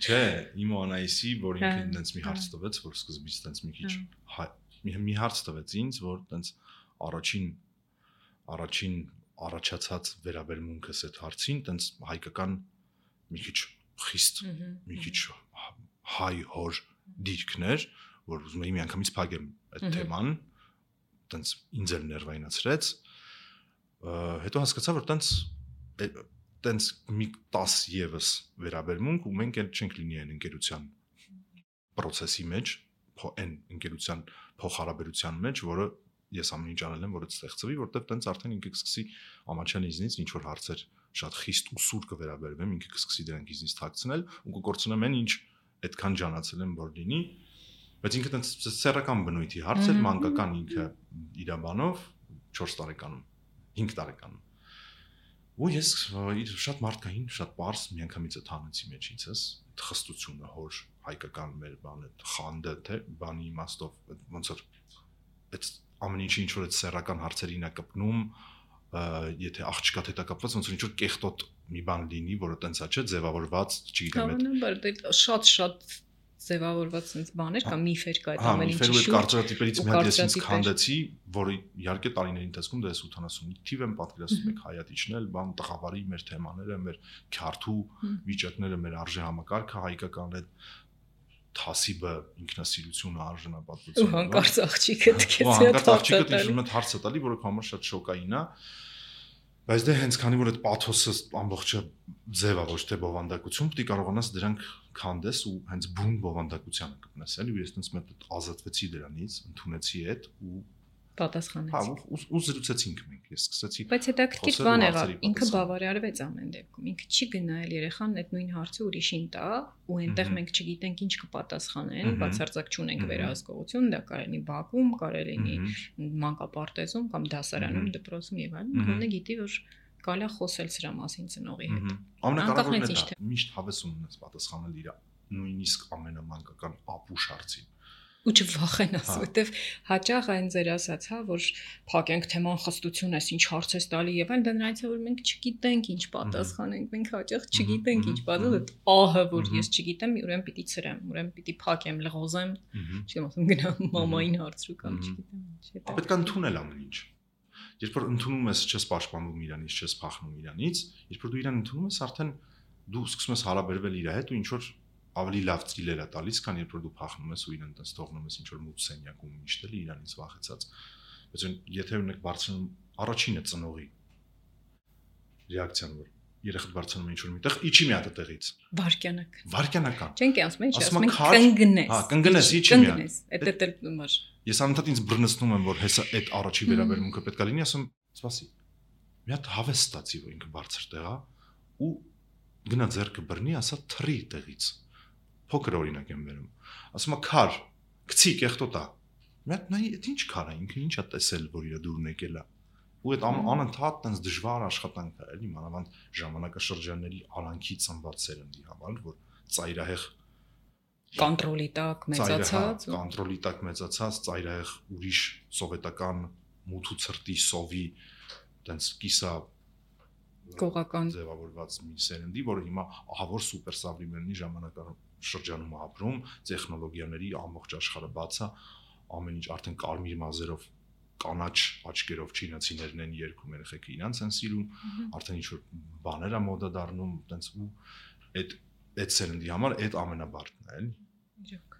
Չէ, իմ Անայիսի, որ ինքը նենց մի հարց տվեց, որ սկզբից նենց մի քիչ մի հարց տվեց ինձ, որ նենց առաջին առաջին առաջացած վերաբերմունքս այդ հարցին, տենց հայկական մի քիչ խիստ, մի քիչ հայ հոր դիրքներ, որ ուզում էի միանգամից փակեմ այդ թեման, տենց ինձ էլ ներվայնացրեց, հետո հասկացա, որ տենց տենց մի տաս եւս վերաբերմունք, ու մենք էլ չենք լինի այն ընկերության process-ի մեջ, այն ընկերության փոխհարաբերության մեջ, որը ես ամեն ինչ անել եմ, որ այդ ստեղծվի, որտեղ տենց արդեն ինքը կսկսի ամաչան ինձնից ինչ որ հարցեր շատ խիստ ու սուր կվերաբերվեմ, ինքը կսկսի դրանք ինձնից թաքցնել ու կկորցնեմ այն ինչ այդքան ջանացել եմ որ լինի, բայց ինքը տենց սեռական բնույթի հարց էր, մանկական ինքը իր բանով չորս տարեկանում, հինգ տարեկանում։ Ու ես շատ մարդկային, շատ པարզ միանգամից այդ հանեցի մեջ ինձս, այդ խստությունը հոր հայկական մեր բանը, խանդը, թե բանի իմաստով ոնց որ այդ ամեն ինչի ինչ որ այդ սեռական հարցերին է կպնում, եթե աղջկա հետ է կապված, ոնց որ ինչ որ կեղտոտ մի բան լինի, որը տենց է, չէ, ձևավորված, չգիտեմ, այդ շատ-շատ ձևավորված sense բաներ կամ միֆեր կա այդ ամեն ինչի շուրջ։ Հա, միֆեր ու կարծրատիպերից մի հատ ես ինձ քանդեցի, որը իհարկե տարիների ընթացքում դա ութանասունի թիվ եմ պատկերացնում եք հայատիչնել, բան տղավարի մեր թեմաները, մեր քյարթու վիճակները, մեր արժե համակարգը հայկական այդ թասիբը ինքնասիրությունը արժանապատվությունը։ Ու հանկարծ աղջիկը դքեց հանկարծ աղջիկը դիժում է հարցը տալի, որը համար շատ շոկային է։ Բայց դե հենց քանի որ այդ պաթոսը ամբողջը ձև է ոչ թե բովանդակություն, պետք է կարողանաս դրանք քանդես ու հենց բուն բովանդակությանը կպնես, էլի ու ես տենց մեծ ազատվեցի դրանից, ընդունեցի այդ ու պատասխանեցի։ Հա, ու ու զրուցեցինք մենք, ես սկսեցի։ Բայց հետաքրքիր բան եղավ, ինքը բավարարվեց ամեն դեպքում։ Ինքը չի գնալ երեխան այդ նույն հարցը ուրիշին տա, ու այնտեղ մենք չգիտենք ինչ կպատասխանեն, բացարձակ չունենք վերահսկողություն, դա կարելի բակում, կարելի մանկապարտեզում կամ դասարանում, դպրոցում եւ այլն, գոնե գիտի որ կարելի է խոսել սրա մասին ծնողի հետ։ Ամենակարևորն է դա, միշտ հավես ունես պատասխանել իր նույնիսկ ամենամանկական ապուշ հարցին։ Ու չվախենաս, որտեվ հաճախ այն ձեր ասած, հա, որ փակենք թեման խստություն էս ինչ հարց ես տալի եւ այլն, դա նրանից է որ մենք չգիտենք ինչ պատասխանենք, մենք հաճախ չգիտենք ինչ պատասխանել, ահը որ ես չգիտեմ, ուրեմն պիտի ծրեմ, ուրեմն պիտի փակեմ, լղոզեմ, չգիտեմ, ասում գնամ մամային հարցրու կամ չգիտեմ ինչ է։ Պետք է ընդունել ամեն ինչ։ Երբ որ ընդունում ես, չես պաշտպանում իրանից, չես փախնում իրանից, երբ որ դու իրան ընդունում ես, արդեն դու սկսում ես հարաբերվել իր հետ ու ինչ որ ավելի լավ ծիլեր է տալիս, քան երբ որ դու փախնում ես ու իրեն տես թողնում ես ինչ որ մութ սենյակում միշտ էլի իրանից վախեցած։ Բայց եթե ունեք բարձրանում առաջինը ծնողի ռեակցիան որ երեխան բարձրանում է ինչ որ միտեղ, իջի մի հատ տեղից։ Վարքյանակ։ Վարքյանական։ Չենք ասում, ինչ ասում ենք կնգնես։ Հա, կնգնես, իջի մի հատ։ Էդ էլ մար։ Ես անընդհատ ինձ բռնցնում եմ, որ հեսա այդ առաջի վերաբերմունքը պետք է լինի, ասում, սպասի։ Մի հատ հավես ստացի, որ ինքը բարձր տեղ է ու գնա ձեռքը բռնի, ասա թռի տեղից։ Փոքր օրինակ եմ վերում։ Ասում է քար, գցի կեղտոտա։ Մի հատ նայ, այդ ինչ քար է, ինքը ինչ է տեսել, որ իր դուրն եկել է։ Ու այդ անընդհատ տենց դժվար աշխատանք է, էլի, մանավանդ ժամանակաշրջանների արանքի ծնված սերնդի համար, որ ծայրահեղ կոնտրոլի տակ մեծացած, կոնտրոլի տակ մեծացած, ծայրահեղ ուրիշ սովետական մութու ցրտի սովի տենց կիսա գողական ձևավորված մի սերնդի, որը հիմա ահա որ սուպեր սավրիմենի ժամանակաշրջանում ապրում, տեխնոլոգիաների ամբողջ աշխարհը բաց է, ամեն ինչ արդեն կարմիր մազերով, կանաչ աչքերով չինացիներն են երգում, երեխեքը իրանց են սիրում, արդեն ինչ որ բաներ է մոդա դառնում, տենց ու այդ այդ սերնդի համար այդ ամենաբարդն է, էլի։ Իրոք։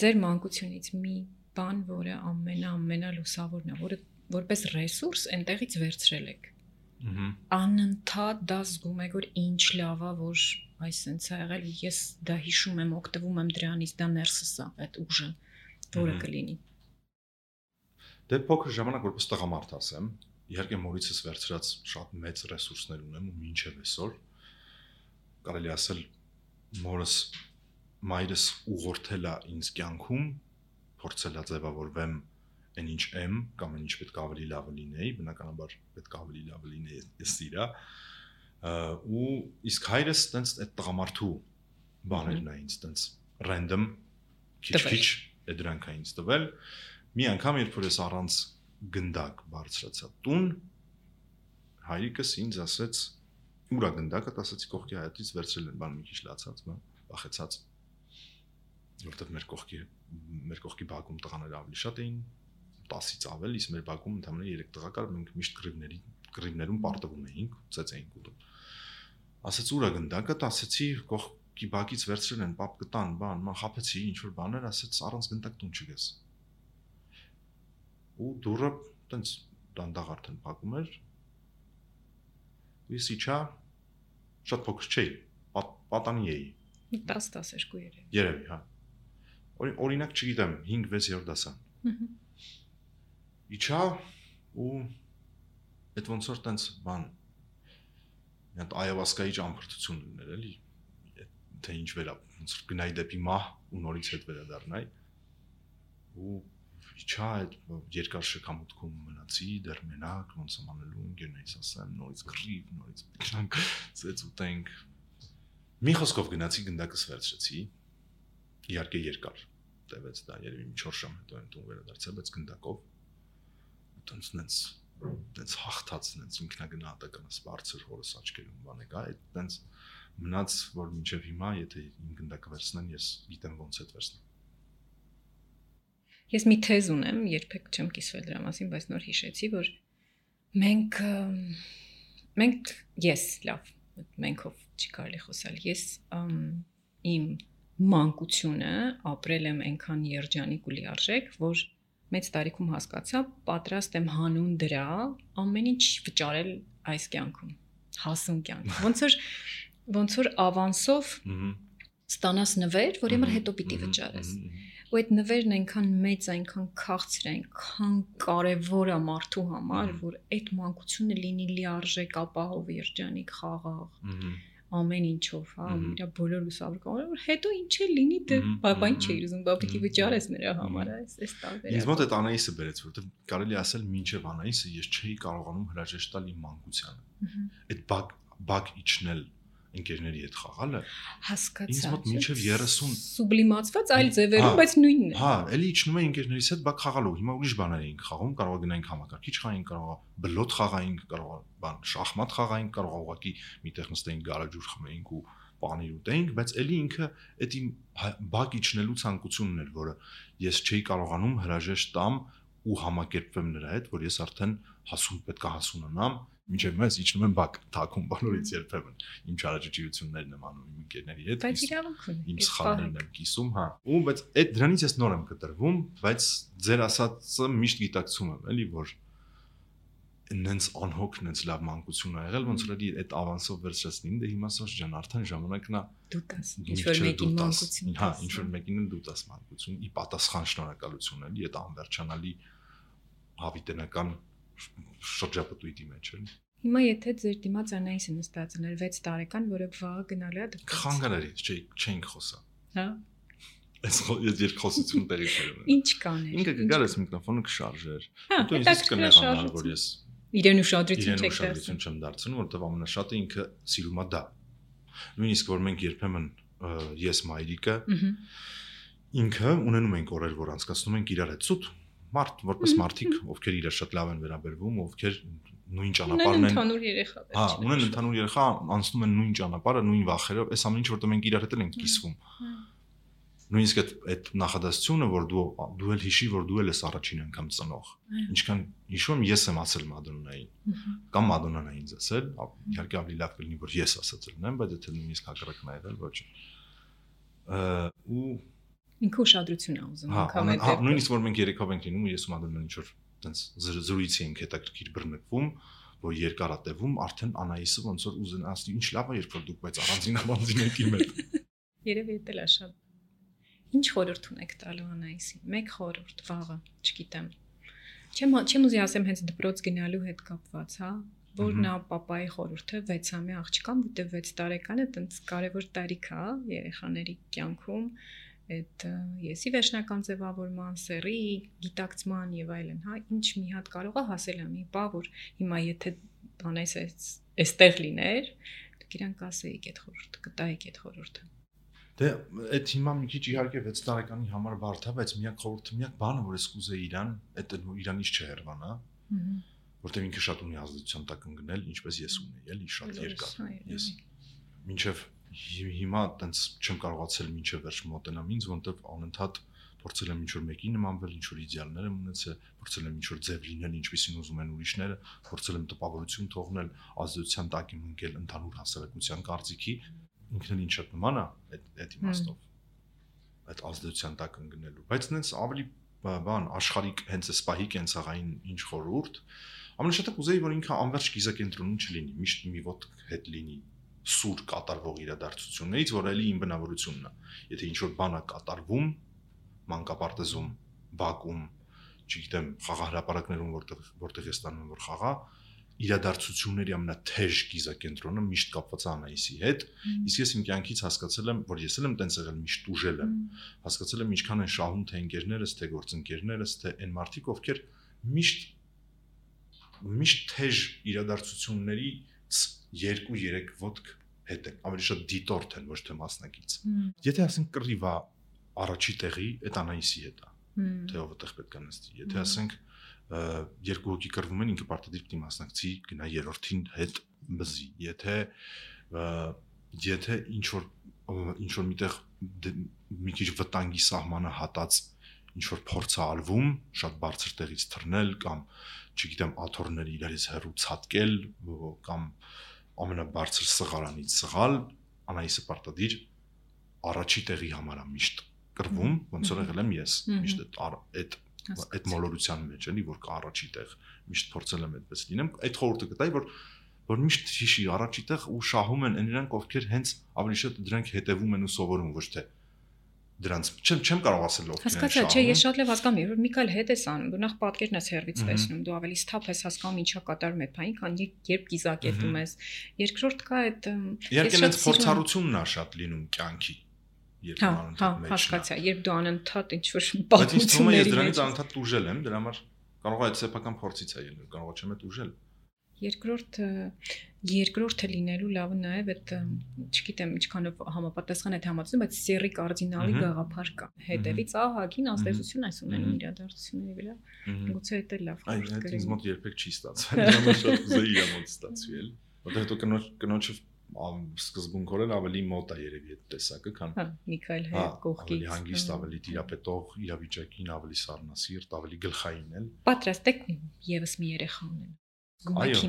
Ձեր մանկությունից մի բան, որը ամենա ամենա լուսավորն է, որը որպես ռեսուրս այնտեղից վերցրել եք։ Անընդհատ դա զգում եք, որ ինչ լավ է, որ այսպես է եղել, ես դա հիշում եմ, օգտվում եմ դրանից, դա ներսս է, այդ ուժը, որը կլինի։ Դե փոքր ժամանակ որպես տղամարդ ասեմ, իհարկե մորիցս վերցրած շատ մեծ ռեսուրսներ ունեմ ու մինչև այսօր կարելի ասել մորս մայրս ուղղորդել է ինձ կյանքում, փորձել է ձևավորվեմ այն ինչ եմ կամ այն ինչ պետք է ավելի լավ լինեի, բնականաբար պետք է ավելի լավ լինեի, ես իրա ու իսկ հայրս տենց այդ տղամարդու բաներն է ինձ տենց random քիչ-քիչ է դրանք է ինձ տվել։ Մի անգամ երբ որ ես առանց գնդակ բարձրացա տուն, հայրիկս ինձ ասեց ուրա գնդակը, ասացի կողքի հայտից վերցրել են, բան մի քիչ լացած, բան վախեցած, որտեղ մեր կողքի մեր կողքի բակում տղաները ավելի շատ էին, տասից ավել, իսկ մեր բակում ընդամենը երեք տղա կար, մենք միշտ կռիվների կռիվներում պարտվում էինք, ծեծ էինք ուտում։ Ասաց ուրա գնդակը, ասացի կողքի բակից վերցրել են, պապ կտան, բան, մա խափեցի ինչ որ բաներ, ասաց առանց գնդակ տուն չգես։ Ու դուրը տենց դանդաղ արդեն փակում էր։ Ես իջա շատ փոքր չէի, պատանի էի։ տասը տասներկու երևի։ Երևի, հա։ Օրինակ չգիտեմ, հինգ վեց-րդ դասան։ Իջա ու այդ ոնց որ տենց բան մի հատ այավասկայի ճամփորդություն լիներ, էլի, թե ինչ վերա, ոնց որ գնայի դեպի մահ ու նորից հետ վերադառնայի։ Ու իջա այդ երկար շքամուտքում մնացի, դեռ մենակ, ոնց եմ անելու, ընկերներիս ասեմ, նորից կռիվ, նորից գնանք, ծեծ ուտենք։ Մի խոսքով գնացի գնդակս վերցրեցի, իհարկե երկար տևեց դա, երևի մի չորս ժամ հետո եմ տուն վերադարձել, բայց գնդակով ու տենց նենց տենց հաղթած նենց ինքնագնահատականս բարձր հորս աչքերում բան եկա, այդ տենց մնաց, որ մինչև հիմա, եթե իմ գնդակը վերցնեն, ես գիտեմ ոնց այդ վերցնեմ։ Ես մի թեզ ունեմ, երբեք չեմ կիսվել դրա մասին, բայց նոր հիշեցի, որ մենք մենք ես լավ, մենքով չի կարելի խոսալ, ես իմ մանկությունը ապրել եմ այնքան երջանիկ ու լիարժեք, որ մեծ տարիքում հասկացա, պատրաստ եմ հանուն դրա ամեն ինչ վճարել այս կյանքում, հասուն կյանք։ Ոնց որ ոնց որ ավանսով ստանաս նվեր, որ իմը հետո պիտի վճարես։ ու այդ նվերն այնքան մեծ, այնքան քաղցր, այնքան կարևոր է մարդու համար, որ այդ մանկությունը լինի լիարժեք ապահով երջանիկ խաղաղ ամեն ինչով, հա, իր բոլոր լուսավորքով, որ հետո ինչ է լինի, դե բաբա ինչ է ուզում, բա պիտի վճարես նրա համար, այս այս տարբերակ։ Ինձ մոտ այդ Անահիսը բերեց, որովհետև կարելի ասել մինչև Անահիսը ես չէի կարողանում հրաժեշտ տալ իմ մանկությանը։ Այդ բակ բակ իջնել ընկերների հետ խաղալը հասկացա։ Ինձ մոտ մինչև երեսուն սուբլիմացված այլ ձևերով, բայց նույնն է։ Հա, էլի իջնում էի ընկերներիս հետ բակ խաղալու։ Հիմա ուրիշ բաներ էինք խաղում, կարող գնայինք համակարգիչ խաղային, կարող բլոտ խաղային, կարող բան շախմատ խաղային, կարող ուղղակի միտեղ նստեինք գարաժուր խմեինք ու պանիր ուտեինք, բայց էլի ինքը այդ իմ բակ իջնելու ցանկությունն էր, որը ես չէի կարողանում հրաժեշտ տամ ու համակերպվեմ նրա հետ, որ ես արդեն հասուն պետք է հասունանամ, մինչև ես իջնում եմ բակ թակում բոլորից երբեմն իմ չարաճճիություններն եմ անում իմ ընկերների հետ, բայց իրավունք ունի, իմ սխալներն եմ կիսում, հա, ու բայց այդ դրանից ես նոր եմ կտրվում, բայց ձեր ասածը միշտ գիտակցում եմ, էլի որ նենց անհոգ, նենց լավ մանկություն ա եղել, ոնց որ էլի այդ ավանսով վերջացնին, դե հիմա սոց ջան, արդեն ժամանակն է դու տաս, ինչ որ մեկին մանկություն, հա, ինչ որ մեկին դու տաս մանկություն, ի պատասխան շնորհակալություն էլի այդ անվերջանալի հավիտենական շրջապտույտի մեջ էլի։ Հիմա եթե ձեր դիմաց Անահիսը նստած ուներ վեց տարեկան, որը վաղը գնալու է դպրոց։ Խանգարարից չէ, չենք խոսա։ Հա։ Այս երկխոսություն տեղի չէր։ Ինչ կաներ։ Ինքը գար այս միկրոֆոնը կշարժեր։ Դու ինձ կներանար, որ ես իրեն ուշադրություն չեք դարձնում, չեմ դարձնում, որովհետև ամենաշատը ինքը սիրում է դա։ Նույնիսկ որ մենք երբեմն ես մայրիկը ինքը ունենում ենք օրեր, որ անցկացնում ենք իրար հետ սուտ մարդ, որպես մարդիկ, ովքեր իրար շատ լավ են վերաբերվում, ովքեր նույն ճանապարհն են։ Ընդհանուր երեխա։ Հա, ունեն ընդհանուր երեխա, անցնում են նույն ճանապարհը, նույն վախերով, այս ամեն ինչ որտեղ մենք իրար հետ ենք կիսվում։ Նույնիսկ այդ այդ նախադասությունը, որ դու դու էլ հիշի, որ դու էլ ես առաջին անգամ ծնող։ Ինչքան հիշում եմ, ես եմ ասել Մադոննային, կամ Մադոննան է ինձ ասել, իհարկե ավելի լավ կլինի, որ ես ասած լինեմ, բայց եթե նույնիսկ հակառակն ա եղել, ոչ։ Ու ինքը ուշադրություն ա ուզում անգամ այդ։ Հա, նույնիսկ որ մենք երեքով ենք լինում, ես ու Մադոննան ինչ որ տենց զրույցի ենք հետաքրքիր բռնկվում, որ երկար ա տևում, արդեն Անահիսը ոնց որ ուզեն ասի, ինչ լավ է, երբ որ դուք բայց առանձին առանձին եք իմ հետ։ Երևի դա է շատ։ Ինչ խորհուրդ ունեք տալու Անահիսին։ Մեկ խորհուրդ վաղը, չգիտեմ։ Չեմ չեմ ուզի ասեմ հենց դպրոց գնալու հետ կապված, հա, որ նա papayi խորհուրդը վեցամյա աղջկան, որտեղ վեց տարեկանը տենց կարևոր տարիք է երեխաների կյանքում, այդ եսի վերջնական ձևավորման, սերի, գիտակցման եւ այլն, հա, ինչ մի հատ կարող է հասել ամի բա, որ հիմա եթե Անահիսը այստեղ լիներ, դուք իրանք ասեիք այդ խորհուրդը, կտայիք այդ խորհուրդը։ Դե այդ հիմա մի քիչ իհարկե վեց տարեկանի համար բարդ է, բայց միակ խորհուրդը, միակ բանը, որ ես կուզեի իրան, այդ իրանից չհեռվանա, որտեղ ինքը շատ ունի ազդեցություն տակ ընկնել, ինչպես ես ունեի, էլի շատ երկար։ Ես մինչև հիմա տենց չեմ կարողացել մինչև վերջ մոտենամ ինձ, որտեղ անընդհատ փորձել եմ ինչ-որ մեկի նմանվել, ինչ-որ իդեալներ եմ ունեցել, փորձել եմ ինչ-որ ձև լինել, ինչպեսին ուզում են ուրիշները, փորձել եմ տպավորություն թողնել, ազդեցության տակ եմ ընկել ընդհանուր հասարակության կարծիքի, ինքն էլ ինչ շատ նման է այդ այդ իմաստով։ Այդ ազդեցության տակ ընկնելու, բայց նենց ավելի բան աշխարհիկ հենց էս պահի կենցաղային ինչ խորհուրդ, ամենաշատը կուզեի, որ ինքը անverջ գիզակենտրոնում չլինի, միշտ մի ոտք հետ լինի սուր կատարվող իրադարձություններից, որ էլի իմ բնավորությունն է։ Եթե ինչ-որ բան է կատարվում, մանկապարտեզում, բակում, չգիտեմ, խաղահրապարակներում, որտեղ որտեղ ես ստանում եմ որ խաղա, իրադարձությունների ամենաթեժ գիզակենտրոնը միշտ կապված է Անահիսի հետ, իսկ ես իմ կյանքից հասկացել եմ, որ ես էլ եմ տենց եղել միշտ ուժել եմ, հասկացել եմ ինչքան են շահում թե ընկերներս, թե գործընկերներս, թե այն մարդիկ, ովքեր միշտ միշտ թեժ իրադարձություններից երկու-երեք ոտք հետ են, ավելի շատ դիտորդ են, ոչ թե մասնակից։ Եթե ասենք կռիվ է առաջի տեղի, այդ Անահիսի հետ է, թե ով այդտեղ պետք է նստի։ Եթե ասենք երկու հոգի կռվում են, ինքը պարտադիր պիտի մասնակցի, գնա երրորդին հետ բզի։ Եթե եթե ինչ որ ինչ որ միտեղ մի քիչ վտանգի սահմանը հատած ինչ որ փորձ է արվում, շատ բարձր տեղից թռնել կամ չգիտեմ, աթոռները իրարից հեռու ցատկել կամ ամենաբարձր սղարանից սղալ, Անահիսը պարտադիր առաջի տեղի համար է միշտ կռվում, ոնց որ եղել եմ ես, միշտ այդ այդ մոլորության մեջ էլի, որ կա առաջի տեղ, միշտ փորձել եմ այդպես լինեմ, այդ խորհուրդը կտայի, որ որ միշտ հիշի առաջի տեղ ու շահում են նրանք, ովքեր հենց ավելի շատ դրանք հետևում են ու սովորում, ոչ թե դրանց չեմ չեմ կարող ասել ով կինն է շահում։ Հասկացա, չէ, ես շատ լավ հասկանում եմ, որ մի քայլ հետ ես անում, բնավ պատկերն ես հերվից տեսնում, դու ավելի սթափ ես հասկանում ինչա կատարում է բանի, քան երբ կիզակետում ես։ Երկրորդ կա այդ իհարկե այնց փորձառությունն է շատ լինում կյանքի, երբ հա, անընդհատ մեջ։ Հասկացա, երբ դու անընդհատ ինչ որ պատմությունների մեջ։ Բայց ինձ թվում է ես դրանից անընդհատ ուժել եմ, դրա համար կարող է այդ սեփական փորձից է ելնել, կարող է չեմ այդ ուժել։ Երկրորդ երկրորդը լինելու լավը նաև այդ չգիտեմ ինչքանով համապատասխան է համացնում, բայց սերի կարդինալի գաղափար կա։ Հետևից ահագին ազդեցություն այս ունենում իրադարձությունների վրա։ Գուցե դա լավ խորհուրդ կլինի։ Այդ ինձ մոտ երբեք չի ստացվել։ Դրա շատ կուզեի իր մոտ ստացվի էլ։ Որտեղ դու կնոջ կնոջը սկզբունքորեն ավելի մոտ է երևի այդ տեսակը, քան հա Միքայել հետ կողքից։ Ավելի հանգիստ, ավելի տիրապետող, իրավիճակին ավելի սառնասիրտ, ավելի գլխային էլ։ Պատրաստ եք եւս մի երեխա ունենալ։ Այո,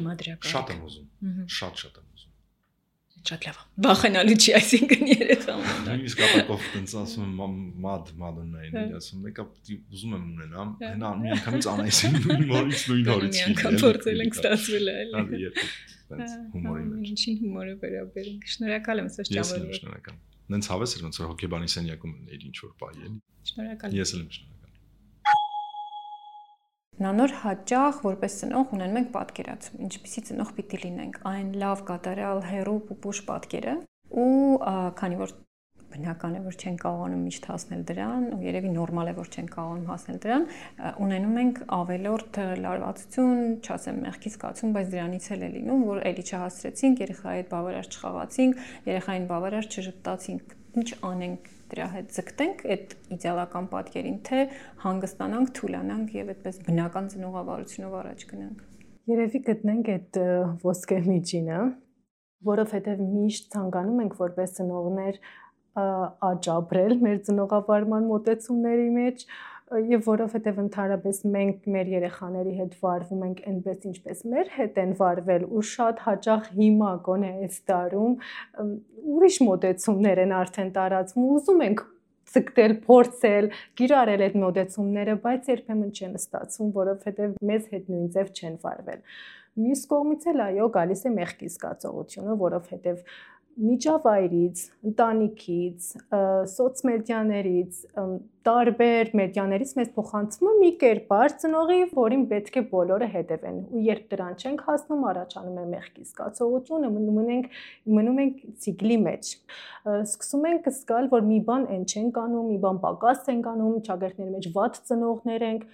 շատ եմ ուզում, շատ շատ եմ ուզում։ Շատ լավ։ Վախենալու չի, այսինքն երեխա ունենալ։ Նույնիսկ ապակով տենց ասում եմ մադ մադոնային, ասում եկա ուզում եմ ունենամ, հենա մի անգամից անայսին նույն օրից նույն օրից։ Մի անգամ փորձել ենք ստացվել է, էլի։ Այո, երբ տենց հումորի մեջ։ Ինչին հումորը վերաբերենք։ Շնորհակալ եմ սոց ճամփորդի։ Ես եմ շնորհակալ։ Նենց հավես էր ոնց որ հոկեբանի սենյակում էր ինչ որ բայ էլի։ Շնորհակալ։ Ես եմ շնորհակալ։ Նանոր հաճախ որպես ծնող ունենում ենք պատկերացում, ինչպիսի ծնող պիտի լինենք, այն լավ կատարյալ հերո պուպուշ պատկերը ու քանի որ բնական է որ չեն կարողանում միշտ հասնել դրան, ու երևի նորմալ է որ չեն կարողանում հասնել դրան, ունենում ենք ավելորդ լարվածություն, չասեմ մեղքի զգացում, բայց դրանից էլ է լինում, որ էլի չհասցրեցինք, երեխայի հետ բավարար չխաղացինք, երեխային բավարար չժպտացինք, ինչ անենք դրա հետ ձգտենք այդ իդեալական պատկերին, թե հանգստանանք, թուլանանք եւ այդպես բնական ծնողավարությունով առաջ գնանք։ Երևի գտնենք այդ ոսկե միջինը, որովհետեւ միշտ ցանկանում ենք որպես ծնողներ աճաբրել մեր ծնողավարման մոտեցումների մեջ եւ որովհետեւ ընդհանրապես մենք մեր երեխաների հետ վարվում ենք այնպես ինչպես մեր հետ են վարվել ու շատ հաճախ հիմա գոնե այս տարում ուրիշ մոտեցումներ են արդեն տարածվում ու ուզում ենք ցկտել, փորձել, գիրառել այդ մոտեցումները, բայց երբեմն չեն ստացվում, որովհետեւ մեզ հետ նույն ձև չեն վարվել։ Մյուս կողմից էլ այո, գալիս է մեղքի զգացողությունը, որովհետեւ միջավայրից, ընտանիքից, սոցմեդիաներից, տարբեր մեդիաներից մեզ փոխանցվում է մի կերպար ծնողի, որին պետք է բոլորը հետևեն։ Ու երբ դրան չենք հասնում, առաջանում է մեղքի զգացողությունը, մնում ենք մնում ենք ցիկլի մեջ։ Սկսում ենք զգալ, որ մի բան այն չենք անում, մի բան պակաս ենք անում, ճագերտների մեջ վատ ծնողներ ենք։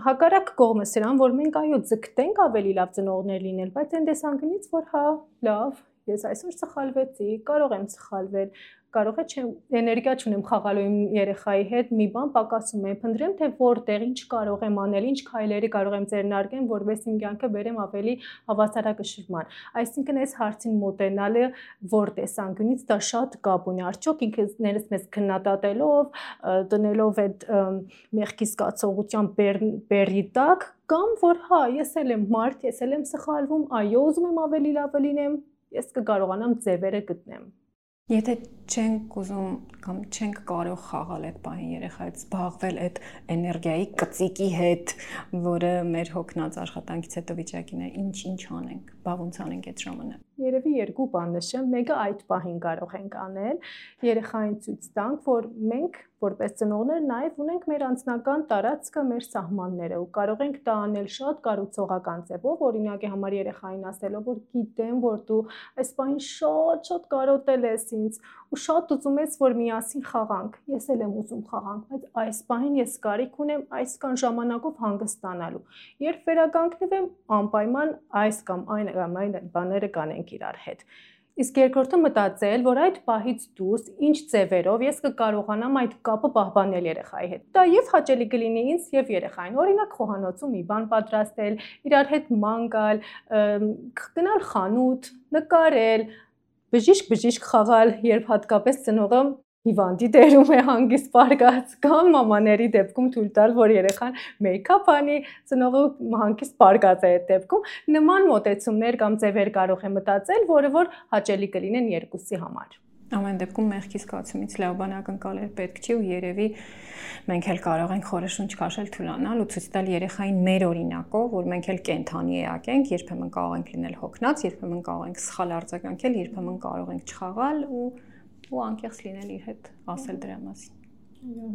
Հակառակ կողմը սրան, որ մենք այո ձգտենք ավելի լավ ծնողներ լինել, բայց այն տեսանկյունից, որ հա, լավ ես այսօր սխալվեցի, կարող եմ սխալվել, կարող է չեմ էներգիա չունեմ խաղալու իմ երեխայի հետ, մի բան պակասում է, փնտրեմ թե որտեղ ինչ կարող եմ անել, ինչ քայլերի կարող եմ ձեռնարկեմ, որովհետեւ իմ կյանքը բերեմ ավելի հավասարակշռման։ Այսինքն այս հարցին մոտենալը որ տեսանկյունից դա շատ կապ ունի, արդյոք ինքներս մեզ քննադատելով, տնելով այդ մեղքի զգացողության բերի տակ, կամ որ հա, ես էլ եմ մարդ, ես էլ եմ սխալվում, այո, ուզում եմ ավելի լավը լինեմ, ես կկարողանամ ձևերը գտնեմ։ Եթե չենք ուզում կամ չենք կարող խաղալ այդ բանի երեխայի հետ, զբաղվել այդ էներգիայի կծիկի հետ, որը մեր հոգնած աշխատանքից հետո վիճակին է, ինչ-ինչ անենք, բա ոնց անենք այդ ժամանակ։ Երևի երկու բան նշեմ, մեկը այդ պահին կարող ենք անել, երեխային ցույց տանք, որ մենք որպես ծնողներ նաև ունենք մեր անձնական տարածքը, մեր սահմանները ու կարող ենք դա անել շատ կառուցողական ձևով, օրինակի համար երեխային ասելով, որ գիտեմ, որ դու այս բանին շատ-շատ կարոտել ես ինձ ու շատ ուզում ես, որ միասին խաղանք։ Ես էլ եմ ուզում խաղանք, բայց այս բանին ես կարիք ունեմ այսքան ժամանակով հանգստանալու։ Երբ վերականգնվեմ, անպայման այս կամ այն կամ այն բաները կանենք իրար հետ։ Իսկ երկրորդը մտածել, որ այդ պահից դուրս ինչ ձևերով ես կկարողանամ այդ կապը պահպանել երեխայի հետ։ Դա եւ հաճելի կլինի ինձ եւ երեխային։ Օրինակ խոհանոցում մի բան պատրաստել, իրար հետ ման գալ, գնալ խանութ, նկարել, բժիշկ-բժիշկ խաղալ, երբ հատկապես ծնողը հիվանդի դերում է հանգիստ պարկած, կամ մամաների դեպքում թույլ տալ, որ երեխան մեյքափ անի, ծնողը հանգիստ պարկած է այդ դեպքում, նման մոտեցումներ կամ ձևեր կարող է մտածել, որը որ հաճելի կլինեն երկուսի համար։ Ամեն դեպքում մեղքի զգացումից լավ բան ակնկալել պետք չի ու երևի մենք էլ կարող ենք խորշունչ քաշել թուլանալ ու ցույց տալ երեխային մեր օրինակով, որ մենք էլ կենթանի էակ ենք, երբեմն կարող ենք լինել հոգնած, երբեմն կարող ենք սխալ արձագանքել, երբեմն կարող ենք չխաղալ ու ու անկեղծ լինել իր հետ ասել դրա մասին։ Այո